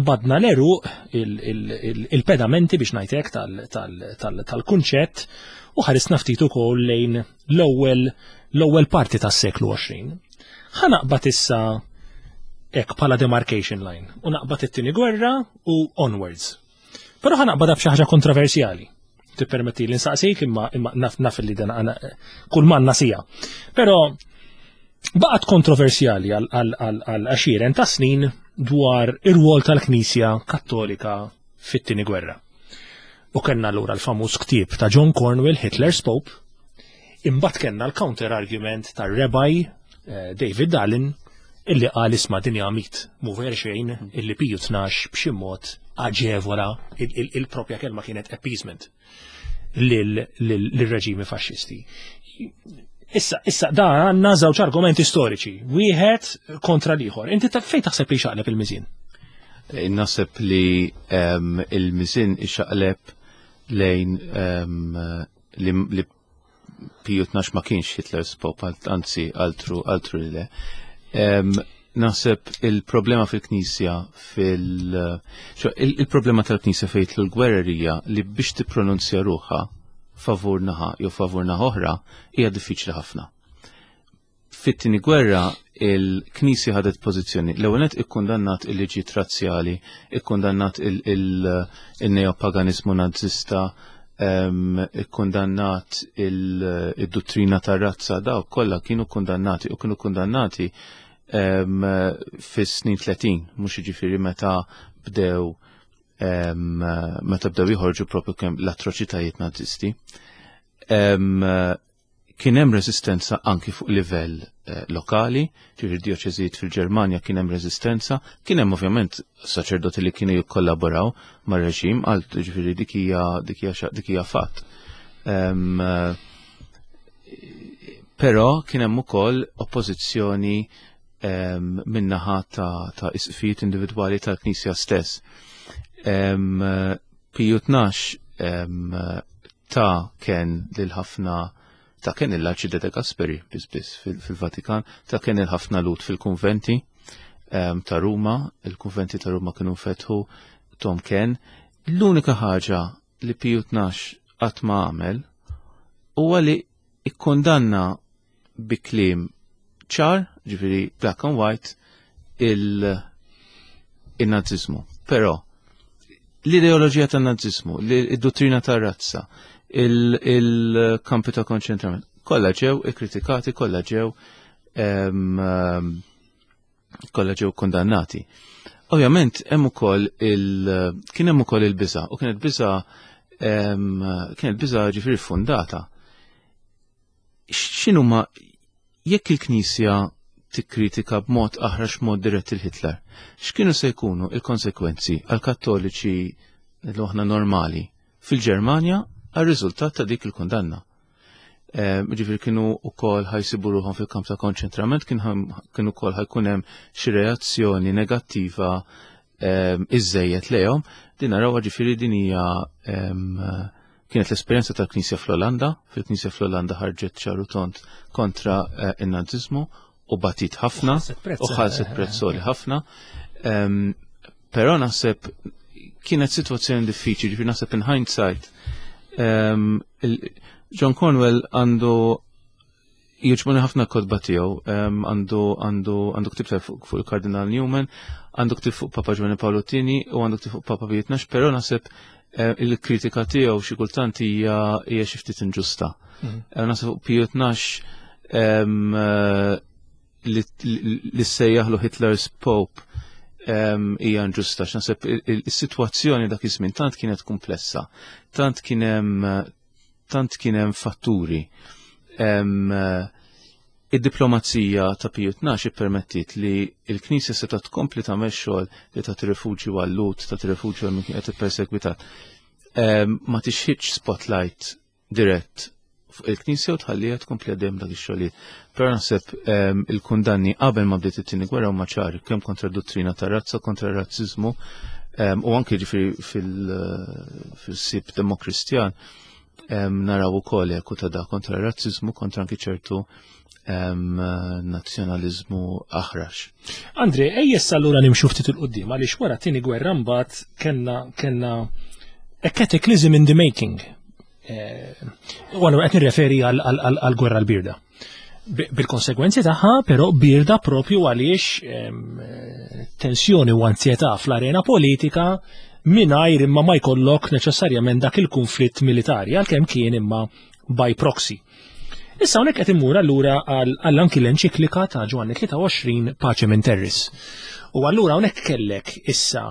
badna l-eruq il-pedamenti biex ngħidlek tal-kunċett u ħarisna ftit ukoll lejn l-ewwel l-ewwel parti tas-seklu għoxrin. Ħa naqbad issa hekk bħala demarcation line u naqbad it-tieni gwerra u onwards. Però ħa naqbadha b'xi ħaġa kontroversjali. Tippermetti li nsaqsik imma imma naf naf li dan għana kull manna sija. Però baqgħet kontroversjali għal għaxieren ta' snin dwar ir-rwol tal-Knisja Kattolika fit-tieni gwerra. U kellna allura l-famuż ktieb ta' John Cornwell, Hitler's Pope, imbagħad kellna l-counter argument tar-Rabbi David Dallin illi qal isma' din hija mit mhu ver xejn illi Piju tnax b'xi mod aġevola, il-propja kelma kienet appeasement lil-reġimi faxxisti. Issa, issa da għandna żewġ argumenti storiċi, wieħed kontra l-ieħor. Inti fejn taħseb li xaqleb il-miżien? Naħseb li il-miżien ixaqleb lejn li Piju tnax ma kienx Hitler's Pope, anzi altru altru li le. Naħseb il-problema fil-Knisja fil il-problema tal-Knisja fejn l-gwerrerija li biex tippronunzja ruħha favur naħa jew favur naħa oħra hija diffiċli ħafna. Fit-tieni gwerra il-Knisja ħadet pożizzjoni. L-ewwel nett ikkundannat il-liġijiet razzjali, ikkundannat il-neopaganiżmu nazzista, ikkundannat il-dottrina tar-razza, dawk kollha kienu kundannati u kienu kundannati fis-snin tletin, mhux jiġifieri meta bdew meta bdew joħorġu propju kemm l-atroċitajiet nazisti. Kien hemm resistenza anki fuq livell lokali, ġifieri dioċeżijiet fil-Ġermanja kien hemm resistenza, kien hemm ovvjament saċerdoti li kienu jikkollaboraw mar-reġim, għal ġifieri dik hija dik hija dik hija fatt. Però kien hemm ukoll oppożizzjoni min-naħa ta' isqfijiet individwali tal-Knisja stess. Piju tnax ta' kien lil ħafna ta' kien il-Arċide de Gasperi biss biss fil-Vatikan, ta' kien il-ħafna lut fil-kunventi ta' Ruma, il-kunventi ta' Ruma kienu fetħu tom kien. L-unika ħaġa li Piju tnax qatt ma għamel huwa li ikkondanna bi kliem ċar, ġifieri black and white, in-Naziżmu. Però l-ideoloġija tan-Naziżmu, id-dottrina tar-razza, il-kampi ta' konċentrament, kollha ġew ikkritikati, kollha ġew kollha ġew kondannati. Ovvjament hemm ukoll il kien hemm ukoll il-biża' u kienet biża' kienet biża' ġifieri fondata. X'inhuma jekk il-Knisja tikkritika b'mod aħrax, mod dirett il-Hitler, x'kienu se jkunu il-konsekwenzi għal kattoliċi l aħna normali fil-Ġermanja għal riżultat ta' dik il-kundanna? Ġifieri kienu wkoll ħa jsibu ruħhom fil-kamp ta' konċentrament, kienu wkoll ħa jkun hemm xi reazzjoni negattiva iżejjed lejhom. Din narawha, ġifieri din hija kienet l-esperjenza tal-Knisja fl-Olanda. Fil-Knisja fl-Olanda ħarġet ċar u tond kontra eh, in-Naziżmu u batit ħafna u ħallset prezz għoli ħafna. Però naħseb kienet situazzjoni diffiċli, ġifieri naħseb in hindsight John Cornwell għandu, jogħġbuni ħafna kotba tiegħu, għandu għandu għandu ktib fuq fuq il-Kardinal Newman, għandu ktib fuq Papa Giovanni Paolo Tini u għandu ktib fuq Papa Piju Tnax, però naħseb eh, il-kritika tiegħu xi kultant hija hija xi ftit inġusta. Mhm. Eh, naħseb fuq Piju Tnax eh, li sejjaħlu Hitler's Pope hija inġusta. Naħseb il-sitwazzjoni dak iż-żmien tant kienet komplessa, tant kien hemm tant kien hemm fatturi. Id-diplomazija ta' Piju Tnax ippermettit li l-Knisja seta' tkompli tagħmel xogħol li tagħti rifuġju għal-Lhud, tagħti rifuġju għal min kien qed ippersegwitat. Ma tixħitx spotlight dirett fuq il-Knisja u tħallija tkompli għaddejjem dak ix-xogħlijiet. Però naħseb il-kundanni qabel ma bdiet it-tieni gwerra huma ċari, kemm kontra d-dottrina tar-razza, kontra r-razziżmu u anke ġifieri fil-ħsieb demokristjan naraw ukoll eku ta' da kontra r-razziżmu, kontra anki ċertu nazzjonaliżmu aħrax. Andre, ejja allura nimxu ftit 'il quddiem, għaliex wara tieni gwerra mbagħad kellna kellna a cataclysm in the making. Eh, u għallu qed nirreferi għal-gwerra l-birda. Bil-konsegwenzi tagħha, però birda propju għaliex tensjoni u ansjetà fl-arena politika mingħajr imma ma jkollok neċessarjament dak il-konflitt militari, għalkemm kien imma by proxy. Issa hawnhekk qed immur allura għal anki l-enċiklika ta' Ġwanni tlieta u għoxrin Pacem in Terris. U allura hawnhekk kellek issa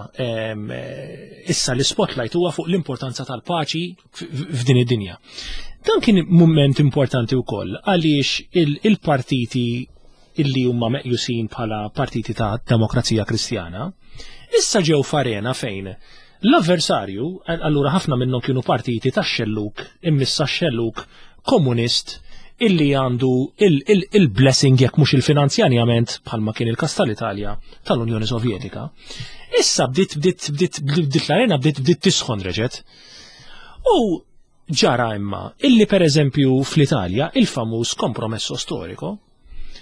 issa l-spotlight huwa fuq l-importanza tal-paċi f'din id-dinja. Dan kien moment importanti wkoll għaliex il-partiti illi huma meqjusin bħala partiti ta' Demokrazija Kristjana issa ġew f'arena fejn l-avversarju, allura ħafna minnhom kienu partiti ta' xelluk, immissa xelluk komunist illi għandu il-blessing jekk mhux il-finanzjament, bħalma kien il-kas tal-Italja, tal-Unjoni Sovjetika. Issa bdiet bdiet bdiet bdiet l-arena bdiet bdiet tisħon reġet. U ġara imma illi per eżempju fl-Italja il-famuż compromesso storico,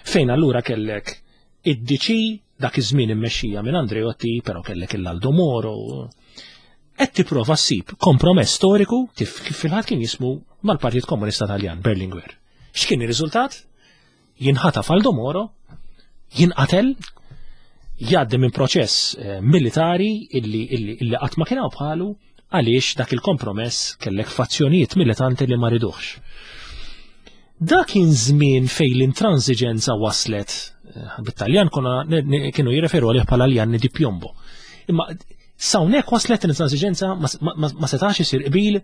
fejn allura kellek id-D C dak iż-żmien immexxija minn Andreotti, però kellek il-Aldo Moro, qed tipprova ssib kompromess storiku, kif fil-ħadd kien jismu, mal-Partit Komunista Taljan, Berlinguer. X'kien ir-riżultat? Jinħataf Aldo Moro, jinqatel, jgħaddi minn proċess eh, militari illi illi illi qatt ma kien bħalu, għaliex dak il-kompromess kellek fazzjonijiet militanti li ma riduhx. Dak kien żmien fejn l-intransiġenza waslet, eh, bit-Taljan kienu jirreferu għalih bħala gli anni di piombo. Imma s'hawnhekk waslet l-intransiġenza, ma setax isir qbil.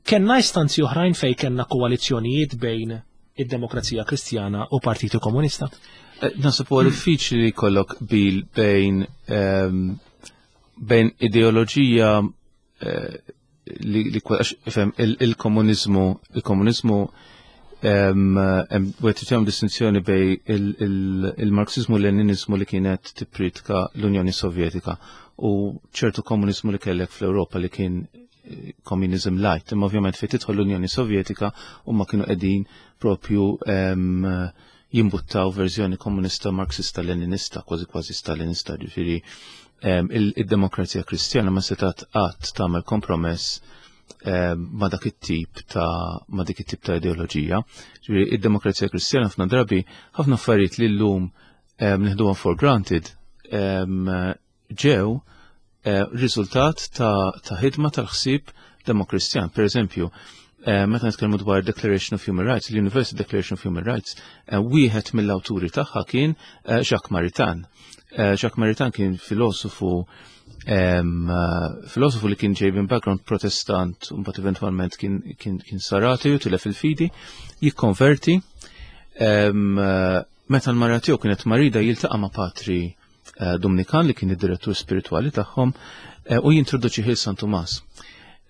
Kenna istanzi oħrajn fej kenna koalizzjonijiet bejn id-Demokrazija Kristjana u Partito Komunista? Eh, naħseb huwa diffiċli li jkollok qbil bejn bejn ideoloġija eh, li li il-komunizmu il-komunizmu wieħed tagħmel distinzjoni bejn il-Marxizmu u l-Leninizmu li kienet tippritka l-Unjoni Sovjetika u ċertu komunizmu li kellek fl-Ewropa li kien eh, communism light. Imma ovvjament fejn tidħol l-Unjoni Sovjetika, huma kienu qegħdin propju jimbuttaw verżjoni komunista marxista leninista, kważi kważi stalinista, ġifieri il-Demokrazija Kristjana ma setat qatt tagħmel kompromess ma dak it-tip ta' ma dik it-tip ta' ideoloġija. Ġifieri id-Demokrazija Kristjana ħafna drabi, ħafna affarijiet li llum nieħduhom for granted. ġew eh, riżultat ta' ta' ħidma tal-ħsieb demokristjan. Per eżempju, eh, meta nitkellmu dwar Declaration of Human Rights, l-Universal Declaration of Human Rights, eh, wieħed mill-awturi tagħha kien eh, Jacques Maritain. Eh, Jacques Maritain kien filosofu em, eh, filosofu li kien ġej minn background protestant, u mbagħad eventwalment kien, kien, kien sar ateu, tilef il-fidi, jikkonverti. Em, eh, meta l-mara tiegħu kienet marida, jiltaqa' ma' patri eh, Dominikan li kien id-direttur spiritwali tagħhom eh, u jintroduċi lil San Tumas.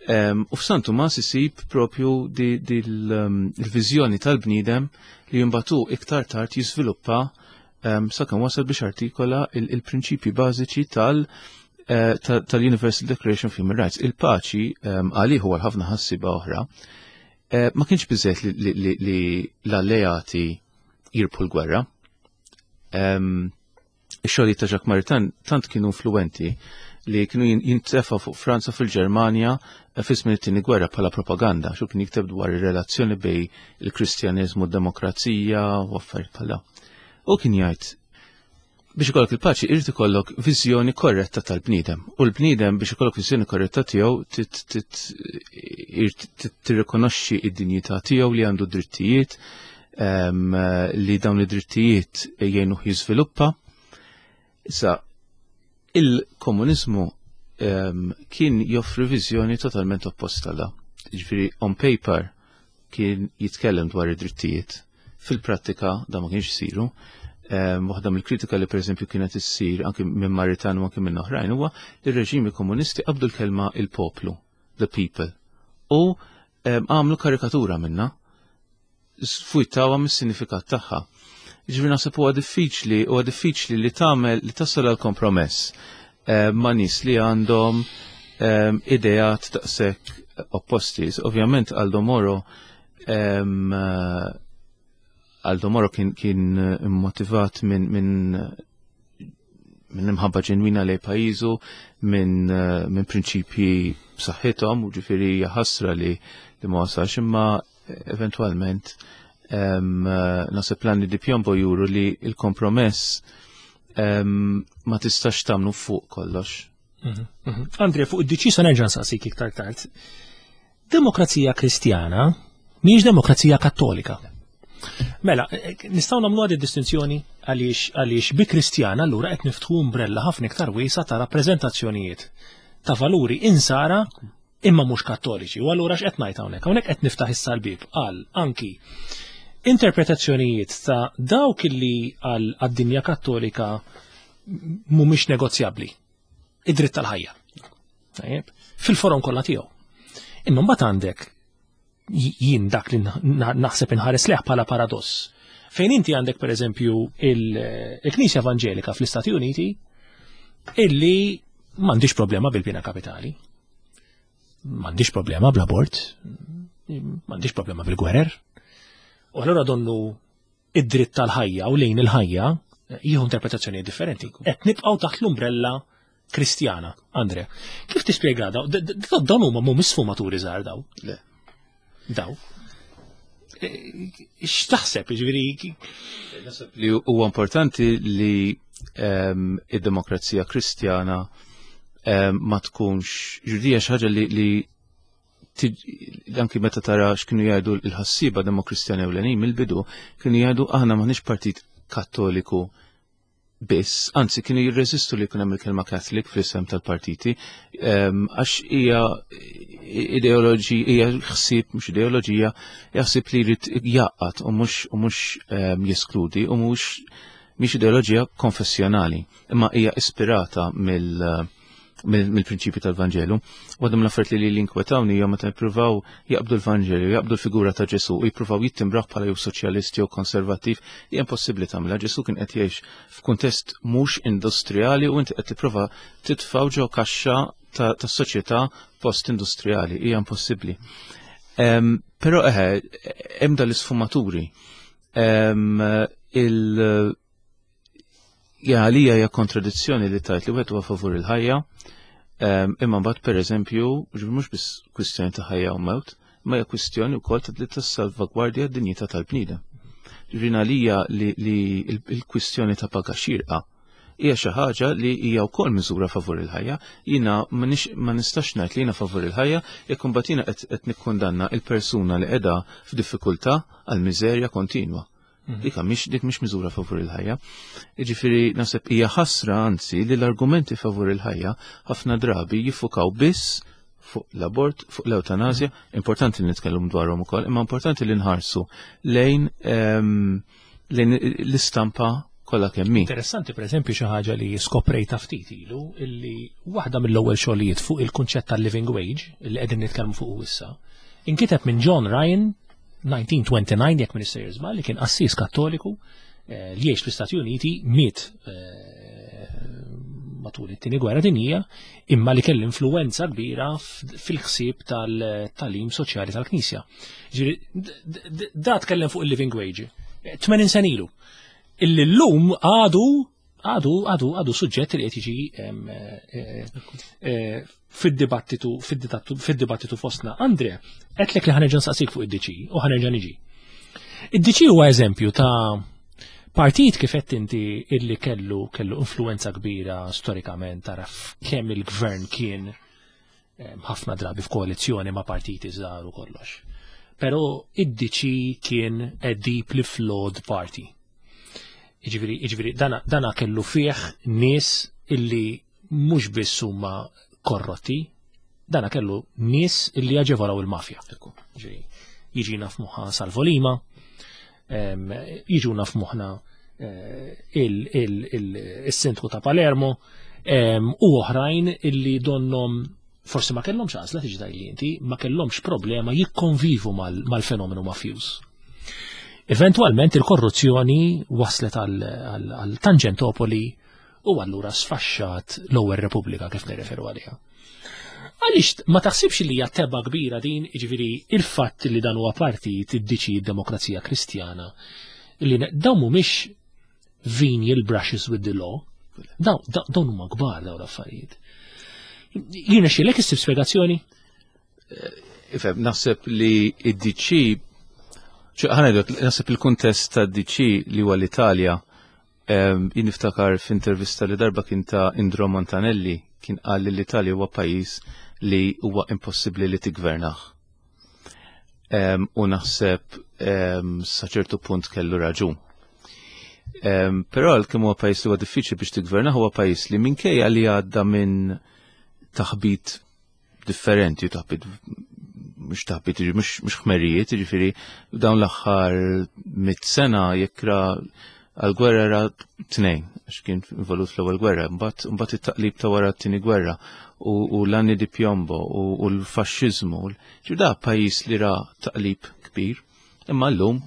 Em, U f'San Tumas isib propju di, di l-viżjoni tal-bniedem li jimbatu iktar tard jiżviluppa um, sakemm wasal biex artikola il- il-prinċipji bażiċi tal- eh, ta- tal-Universal Declaration of Human Rights. Il-paċi um, għalih u għal ħafna ħassiba oħra eh, ma kienx biżżejjed li, li, li, li l-alleati jirbħu l-gwerra. Um, Ix-xogħlijiet ta' Jacques Maritain tant kienu influenti li kienu jin- jintefa fuq Franza, fil-Ġermanja eh, fi żmien it-tieni gwerra bħala propaganda, xu kien jikteb dwar ir-relazzjoni bejn il-Kristjaneżmu u d-demokrazija u affarijiet bħala. U kien jgħid, biex ikollok il-paċi irid ikollok viżjoni korretta tal-bniedem. U l-bniedem, biex ikollok viżjoni korretta tiegħu, tit- tit- irid tirrikonoxxi id-dinjità tiegħu, li għandu drittijiet, em, li dawn id-drittijiet jgħinuh jiżviluppa. Issa, il-komunizmu em, kien joffri viżjoni totalment opposta la. Ġifieri, on paper kien jitkellem dwar id-drittijiet. Fil-prattika da ma kienx isiru. Em, Waħda mill-kritika li pereżempju kienet issir anki minn Maritain u anki minn oħrajn huwa li r-reġimi komunisti qabdu l-kelma "il-poplu", "the people", u em, għamlu karikatura minna, sfujtawha mis-sinifikat tagħha. Ġifieri naħseb huwa diffiċli, huwa diffiċli li tagħmel li tasal għal kompromess eh, ma' nies li għandhom eh, ideat daqshekk opposti. Ovvjament Aldo Moro em, eh, Aldo Moro kien, kien motivat minn min, minn imħabba ġenwina lejn pajjiżu, minn eh, min prinċipji b'saħħithom, u ġifieri ħasra li, li ma wasalx, imma eventwalment em, eh, naħseb l-anni di piombo juru li il-kompromess em, ma tistax tagħmlu fuq kollox. Andrea, fuq id-D C sa nerġa' nsaqsik iktar tard. Demokrazija Kristjana mhijiex demokrazija Kattolika. Mela, eh, nistgħu nagħmlu għadi distinzjoni, għaliex għaliex bi Kristjana allura qed niftħu umbrella ħafna iktar wiesa ta' rappreżentazzjonijiet ta' valuri insara imma mhux Kattoliċi. U allura x'qed ngħid hawnhekk? Hawnhekk qed niftaħ issa l-bib għal anki interpretazzjonijiet ta' dawk illi għal għad-dinja Kattolika mhumiex negozjabbli. Id-dritt tal-ħajja. Tajjeb, fil-forom kollha tiegħu. Imma mbagħad għandek jien dak li naħseb inħares leħ bħala paradoss. Fejn inti għandek, per eżempju, il-Knisja Evangelika fl-Istati Uniti illi m'għandix problema bil-pena kapitali, m'għandix problema bl-abort, m'għandix problema bil-gwerer. U allura donnu id-dritt tal-ħajja u lejn il-ħajja jieħu interpretazzjoni differenti. Qed nibqgħu taħt l-umbrella Kristjana, Andrea. Kif tispjega daw? Dawn huma mhumiex sfumaturi żgħar daw. Le. Daw. E, x'taħseb, ġifieri? Naħseb li huwa importanti li ehm, id-demokrazija Kristjana ehm, ma tkunx ġurdija xi ħaġa li li anki meta tara x'kienu jgħidu l-ħassiba demokristjani ewlenin mill-bidu, kienu jgħidu: "Aħna m'aħniex partit Kattoliku biss", anzi kienu jirreżistu li jkun hemm il-kelma "Catholic" fl-isem tal-partiti, ehm, għax hija ideoloġi, hija ħsieb, mhux ideoloġija, hija ħsieb li jrid jgħaqqad u mhux u mhux ehm, jeskludi u mhux mhix ideoloġija konfessjonali, imma hija ispirata mill mill-prinċipju tal-Vanġelu. Waħda mill-affarijiet li li inkwetawni hija meta jippruvaw jaqbdu l-Vanġelu, jaqbdu l-figura ta' Ġesu u jippruvaw jittimbraw bħala jew soċjalist jew konservattiv, hija impossibbli tagħmilha. Ġesu kien qed jgħix f'kuntest mhux industrijali u inti qed tipprova titfgħu ġo kaxxa ta' soċjetà post-industrijali, hija impossibbli. Però eħe, hemm dal-isfumaturi. Il Ja, għalija hija kontradizzjoni li tajt li wieħed huwa favur il-ħajja, imma mbagħad, pereżempju, mhux biss kwistjoni ta' ħajja u mewt, ma hija kwistjoni wkoll ta' li tassalvagwardja d-dinjità tal-bniedem. Ġifieri għalija li il-kwistjoni ta' paga xirqa hija xi ħaġa li hija wkoll miżura favur il-ħajja. Jiena ma nistax ngħid li jiena favur il-ħajja jekk imbagħad jiena qed nikkundanna il-persuna li qiegħda f'diffikultà għal miżerja kontinwa. Mhm. Dik mhix dik mhix miżura favur il-ħajja. Jiġifieri naħseb hija ħasra, anzi, li l-argumenti favur il-ħajja ħafna drabi jiffukaw biss fuq l-abort, fuq l-eutanazja, mhm. importanti li nitkellmu dwarhom ukoll, imma importanti li nħarsu lejn ehm, lejn l-istampa kollha kemm hi. Interessanti, pereżempju, xi ħaġa li skoprejta ftit ilu, illi waħda mill-ewwel xogħlijiet fuq il-kunċett tal-living wage li qegħdin nitkellmu fuq issa, inkiteb minn John Ryan elf disa' mija u disgħa u disgħin, jekk m'iniex sejjer, li kien qassis Kattoliku eh, li jgħix fl-Istati Uniti, miet eh, matul it-Tieni Gwerra Dinjija, imma li kellu influenza kbira fil-ħsieb tal-tagħlim soċjali tal-Knisja. Da tkellem fuq il-living wage tmenin sena ilu. Illi l-lum għadu għadu għadu għadu suġġett li qed jiġi eh, eh, fid-dibattitu fid-dibattitu fostna. Andre, għedtlek li ħa nerġa' nsaqsik fuq id-D C u ħa nerġa' niġi. Id-D C huwa eżempju ta' partit, kif qed inti, illi kellu kellu influenza kbira storikament. Taraf kemm il-gvern kien ħafna drabi f'koalizzjoni ma' partiti żgħar u kollox. Però id-D C kien a deeply flawed party. Iġifieri, iġifieri dana, dana kellu fih nies illi mhux biss huma korrotti, dana kellu nies illi jaġevolaw il-mafja. Ġifieri, jiġina f'moħħa Salvo Lima, jiġuna f'moħħna eh, il-sindku ta' Palermo u oħrajn illi donnom forsi ma kellhomx għażla, tiġi tgħidli inti, ma kellhomx problema jikkonvivu mal-fenomenu mafjuż. Eventualment il-korruzzjoni waslet għal Tangentopoli u allura sfaxxat l-ewwel Repubblika kif nirreferu għaliha. Għaliex ma taħsibx li hija tebgħa kbira din, jiġifieri il-fatt li dan huwa partit id-D C, Demokrazija Kristjana, li dawn mhumiex venial brushes with the law, dawn huma kbar dawn l-affarijiet. Jiena xilek issib spjegazzjoni? Ifhem, naħseb li id-D C, naħseb il-kuntest ta' D C li huwa l-Italja, jien niftakar f'intervista li darba kien ta' Indro Montanelli, kien qal li l-Italja huwa pajjiż li huwa impossibbli li tigvernah. U naħseb sa ċertu punt kellu raġun. Però għalkemm huwa pajjiż li huwa diffiċli biex tigvernah, huwa pajjiż li minkejja li għadda minn taħbit differenti, taħbit mhux taħbit, mhux ħmerijiet, ġifieri dawn l-aħħar mit sena jekk ra għal-gwerra ra tnejn, għax kien involut fl-ewwel gwerra, mbagħad it-taqlib ta' wara t-tieni gwerra u l-anni di piombo u l-faxxiżmu. Ġifieri da pajjiż li ra taqlib kbir, imma llum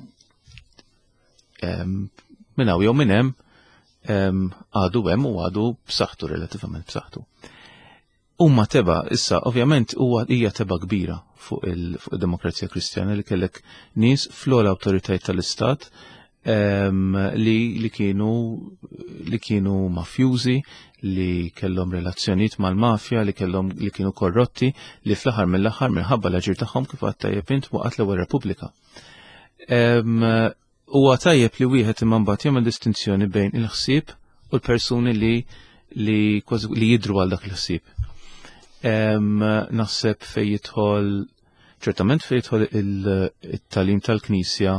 minn hawn jew minn hemm għadu hemm u għadu b'saħħtu, relattivament b'saħħtu. Umma tebgħa, issa, ovvjament, huwa hija tebgħa kbira fuq il-Demokrazija Kristjana li kellek nies fl-ogħla awtoritajiet tal-Istat li, li kienu li kienu mafjużi, li kellhom relazzjonijiet mal-mafja, li kellhom li kienu korrotti, li fl-aħħar mill-aħħar, minħabba l-aġir tagħhom, kif għedt tajjeb int, waqgħet l-ewwel Repubblika. Huwa tajjeb li wieħed imma mbagħad jagħmel distinzjoni bejn il-ħsieb u l-persuni li li li jidru għal dak il-ħsieb. Naħseb fej jidħol, ċertament fej jidħol il-tagħlim tal-Knisja,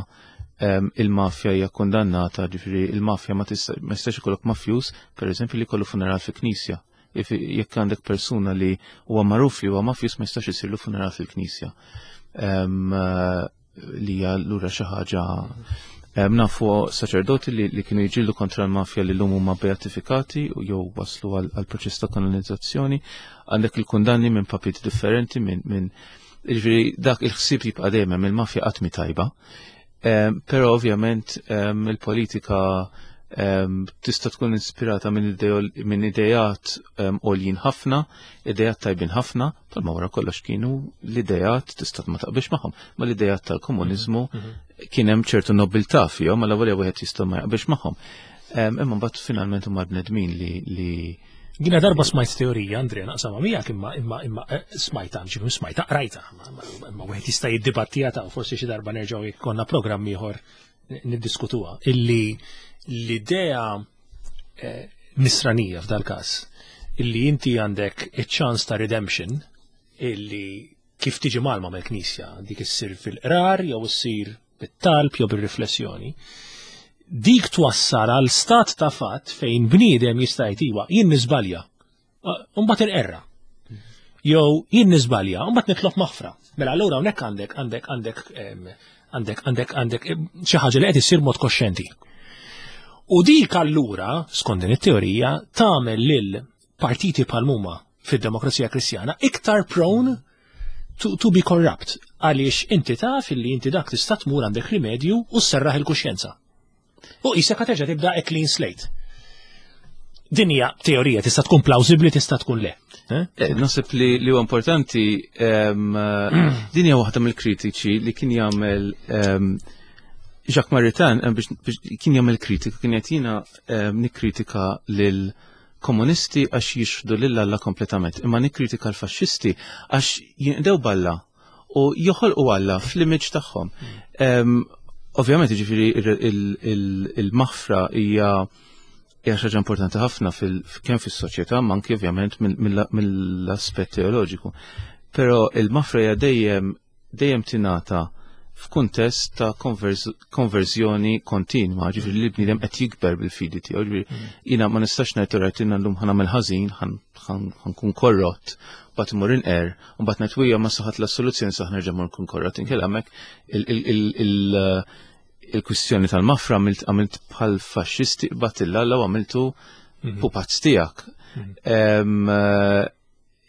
il-mafja hija kondannata, ġifieri il-mafja ma tistax ikollok mafjus, per eżempju, li kollu funeral fi knisja. Jekk għandek persuna li huwa magħruf li huwa mafjus, ma jistax isirlu funeral fil-knisja. Li hija lura xi ħaġa. Nafu saċerdoti li, li kienu jiġġieldu kontra l-mafja li l-lum huma beatifikati u jew waslu għal proċess ta' kanonizzazzjoni. Għandek il-kundanni minn papiet differenti minn min, ġifieri dak il-ħsieb jibqa' dejjem, il-mafja qatt mi tajba. Però ovvjament il-politika tista' tkun ispirata minn idejat għoljin ħafna, idejat tajbin ħafna, palma wara kollox kienu l-idejat, tista' ma taqbilx magħhom, ma l-idejat tal-komuniżmu mhm, mhm. kien hemm ċertu nobiltà fihom, ma l wieħed jista' ma jaqbilx magħhom. Imma mbagħad finalment huma bnedmin li li Jiena darba smajt teorija, Andrea, naqsama miegħek, imma imma imma eh, smajta, ġifieri smajta, qrajta, imma wieħed jista' jiddibattiha ta' forsi xi darba nerġgħu jkollna programm ieħor niddiskutuha, illi l-idea eh, Nisranija f'dal każ, illi inti għandek iċ-ċans ta' redemption illi kif tiġi mgħallma mill-Knisja, dik issir fil-qrar jew issir bit-talb jew bir-riflessjoni. Dik twassal għal stat ta' fatt fejn bniedem jista' jgħid iwa, jien niżbalja. Mbagħad irqerra. Jew jien niżbalja, mbagħad nitlob maħfra. Mela allura hawnhekk għandek għandek għandek għandek għandek għandek xi ħaġa li qed issir mod koxxenti. U dik allura, skont din it-teorija, tagħmel lil partiti bħal huma fid-demokrazija Kristjana iktar prone to, to be corrupt. Għaliex inti taf illi inti dak tista' tmur għandek rimedju u sserraħ il-kuxjenza. U qisek terġa' tibda a clean slate. Din hija teorija tista' tkun plawsibbli, tista' tkun le. Eh? Eh, naħseb li li huwa importanti, din hija waħda mill-kritiċi li kien jagħmel Jacques Maritain, biex kien jagħmel kritika, kien qed jiena nikkritika lil komunisti għax jixħdu lil Alla kompletament, imma nikkritika l-faxxisti għax jinqdew b'Alla u joħolqu Alla fl-image tagħhom. Ovvjament, ġifieri il-maħfra hija hija xi ħaġa importanti ħafna kemm fis-soċjetà, ma anke ovvjament mill-aspett teoloġiku. Però il-maħfra hija dejjem dejjem tingħata f'kuntest ta' konverżjoni kontinwa, ġifieri li bniedem qed jikber bil-fidi tiegħu. Ġifieri mm. jiena ma nistax ngħid rajt jiena llum ħa nagħmel ħażin, ħa nkun korrott, mbagħad imur inqer, u mbagħad ngħid wija ma saħat la soluzzjoni saħ nerġa' mur nkun korrott. Inkella hemmhekk il-kwistjoni tal-maħfra għamilt bħal faxxisti, qbadt 'l Alla u għamiltu mhm. pupazz tiegħek. Mhm.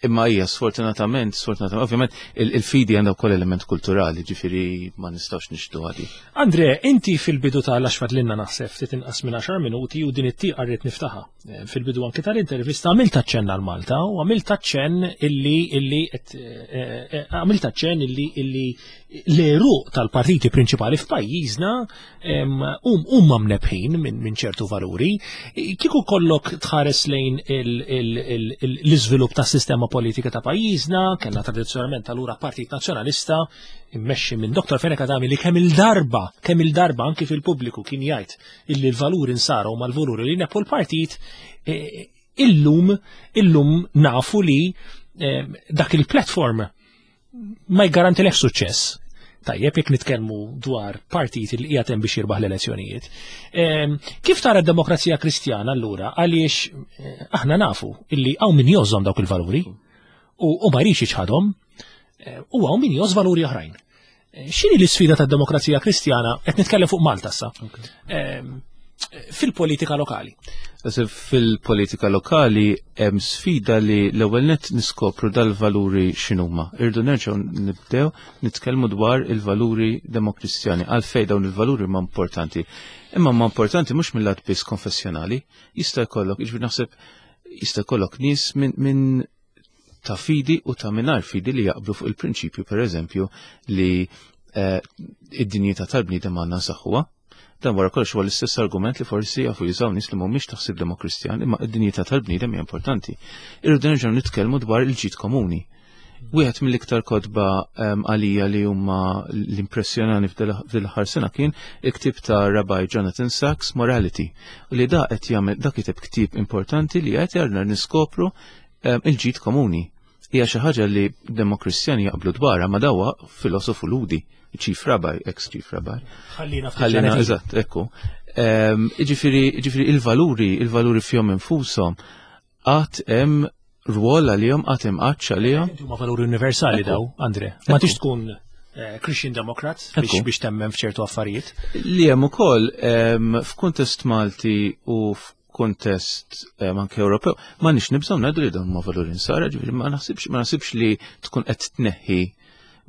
Imma hija sfortunatament, sfortunatament, ovvjament il-fidi għandha wkoll element kulturali, ġifieri ma nistgħux nixtu għadi. Andre, inti fil-bidu tal-għax fadlilna naħseb ftit inqas minn għaxar minuti u din it-tieqa rrid niftaħa. Eh, fil-bidu anki tal-intervista għamilt aċċenn għal Malta u għamilt aċċenn illi illi eh, eh, għamilt aċċenn illi illi l-għeruq tal-partiti prinċipali f'pajjiżna huma mnebbħin minn ċertu valuri. Kieku kollok tħares lejn l-iżvilupp tas-sistema politika ta' pajjiżna, kellna tradizzjonalment allura Partit Nazzjonalista immexxi minn Dottor Fenech Adami li kemm il-darba, kemm il-darba anki fil-pubbliku kien jgħid illi l-valuri nsara u mal-valuri li nepu l-partit, e, illum illum nafu li e, dak il-platform ma jgarantilek suċċess. Tajjeb, jekk nitkellmu dwar partit li qiegħed hemm biex jirbaħ l-elezzjonijiet. Kif tara d-demokrazija Kristjana allura, għaliex eh, aħna nafu illi hawn min jgħożżhom dawk il-valuri u ma jridx jiċħadhom eh, u hawn min jgħożż valuri oħrajn. Eh, x'inhi l-isfida tad-demokrazija Kristjana, qed nitkellem fuq Malta issa, fil-politika lokali? Fil-politika lokali hemm sfida li l-ewwel net niskopru dal-valuri x'inhuma. Irdu nerġgħu nibdew nitkellmu dwar il-valuri demokristjani. Għalfejn dawn il-valuri ma importanti? Imma ma importanti mhux mill-lat biss konfessjonali, jista' jkollok, jiġifieri naħseb jista' jkollok nies minn min ta' fidi u ta' mingħajr fidi li jaqblu fuq il-prinċipju, per eżempju, li eh, id-dinjità tal-bniedem għandna nsaħħuha. Dan wara kollox huwa l-istess argument li forsi jafu jużaw nies li mhumiex taħsib demokristjan, imma id-dinjità tal-bniedem hija importanti. Irridu nerġgħu nitkellmu dwar il-ġid komuni. Wieħed mill-iktar kotba għalija li huma l-impressjonani fil-aħħar sena kien il-ktieb ta' Rabbi Jonathan Sacks, Morality, u li da qed jagħmel, da kiteb ktieb importanti li qed jarna niskopru il-ġid komuni. Hija xi ħaġa li demokristjani jaqblu dwarha, ma dawa filosofu Lhudi, chief rabbi, ex-chief rabbi. Ħallina. Ħallina, eżatt, ekku. Ġifieri, ġifieri il-valuri, il-valuri fihom infushom għad hemm rwol għalihom, għad hemm għatx għalihom. Huma valuri universali daw, Andre. Ma tix tkun eh, Christian Democrat biex biex temmen f'ċertu affarijiet. Li hemm ukoll f'kuntest Malti u f'kuntest anke Ewropew, ma nix nibżgħu ngħidu li dawn huma valuri nsara, ġifieri ma naħsibx ma naħsibx li tkun qed tneħħi,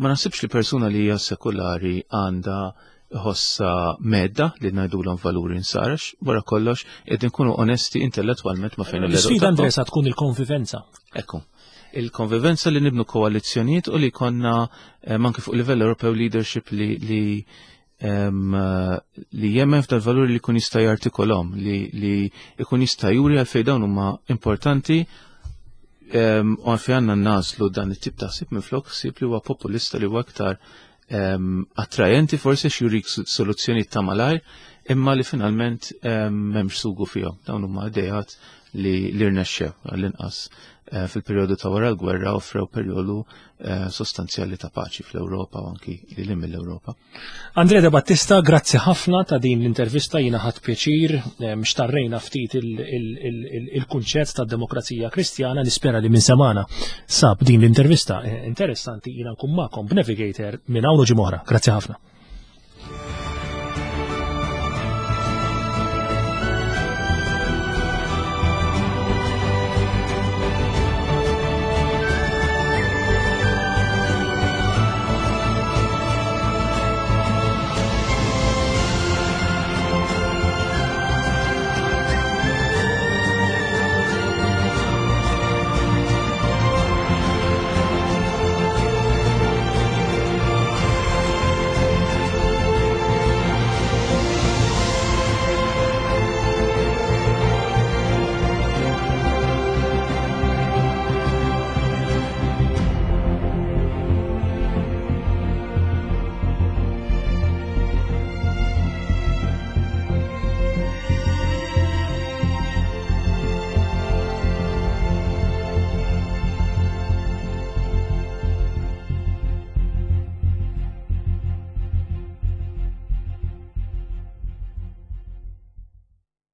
ma naħsibx li persuna li hija sekulari għandha ħossa medda li ngħidulhom valuri nsara, wara kollox qed nkunu onesti intellettwalment ma fejn. L-isfida, Andre, sa tkun il-konvivenza. Ekku. Il-konvivenza li nibnu koalizzjonijiet u li konna eh, anke fuq livell Ewropew leadership li li em, li jemmen f'dal valuri, li jkun jista' jartikolhom, li li jkun jista' juri għalfejn dawn huma importanti em, u għalfejn għandna nagħżlu dan it-tip ta' ħsieb minflok ħsieb li huwa populista, li huwa aktar em, attrajenti forsi x'jurik soluzzjoni ta' malajr, imma li finalment em, m'hemmx sugu fihom. Dawn huma idejat li li rnexxew għall-inqas eh, fil-perjodu ta' wara l-gwerra offrew perjodu eh, sostanzjali ta' paċi fl-Ewropa u anki lil hinn mill-Ewropa. Andrea De Battista, grazzi ħafna ta' din l-intervista, jiena ħadt pjaċir, eh, mxtarrejna ftit il-kunċett ta' Demokrazija Kristjana, nispera li min semagħna sab din l-intervista interessanti. Jiena nkun magħkom b'Navigator minn hawn ġimgħa. Grazzi ħafna.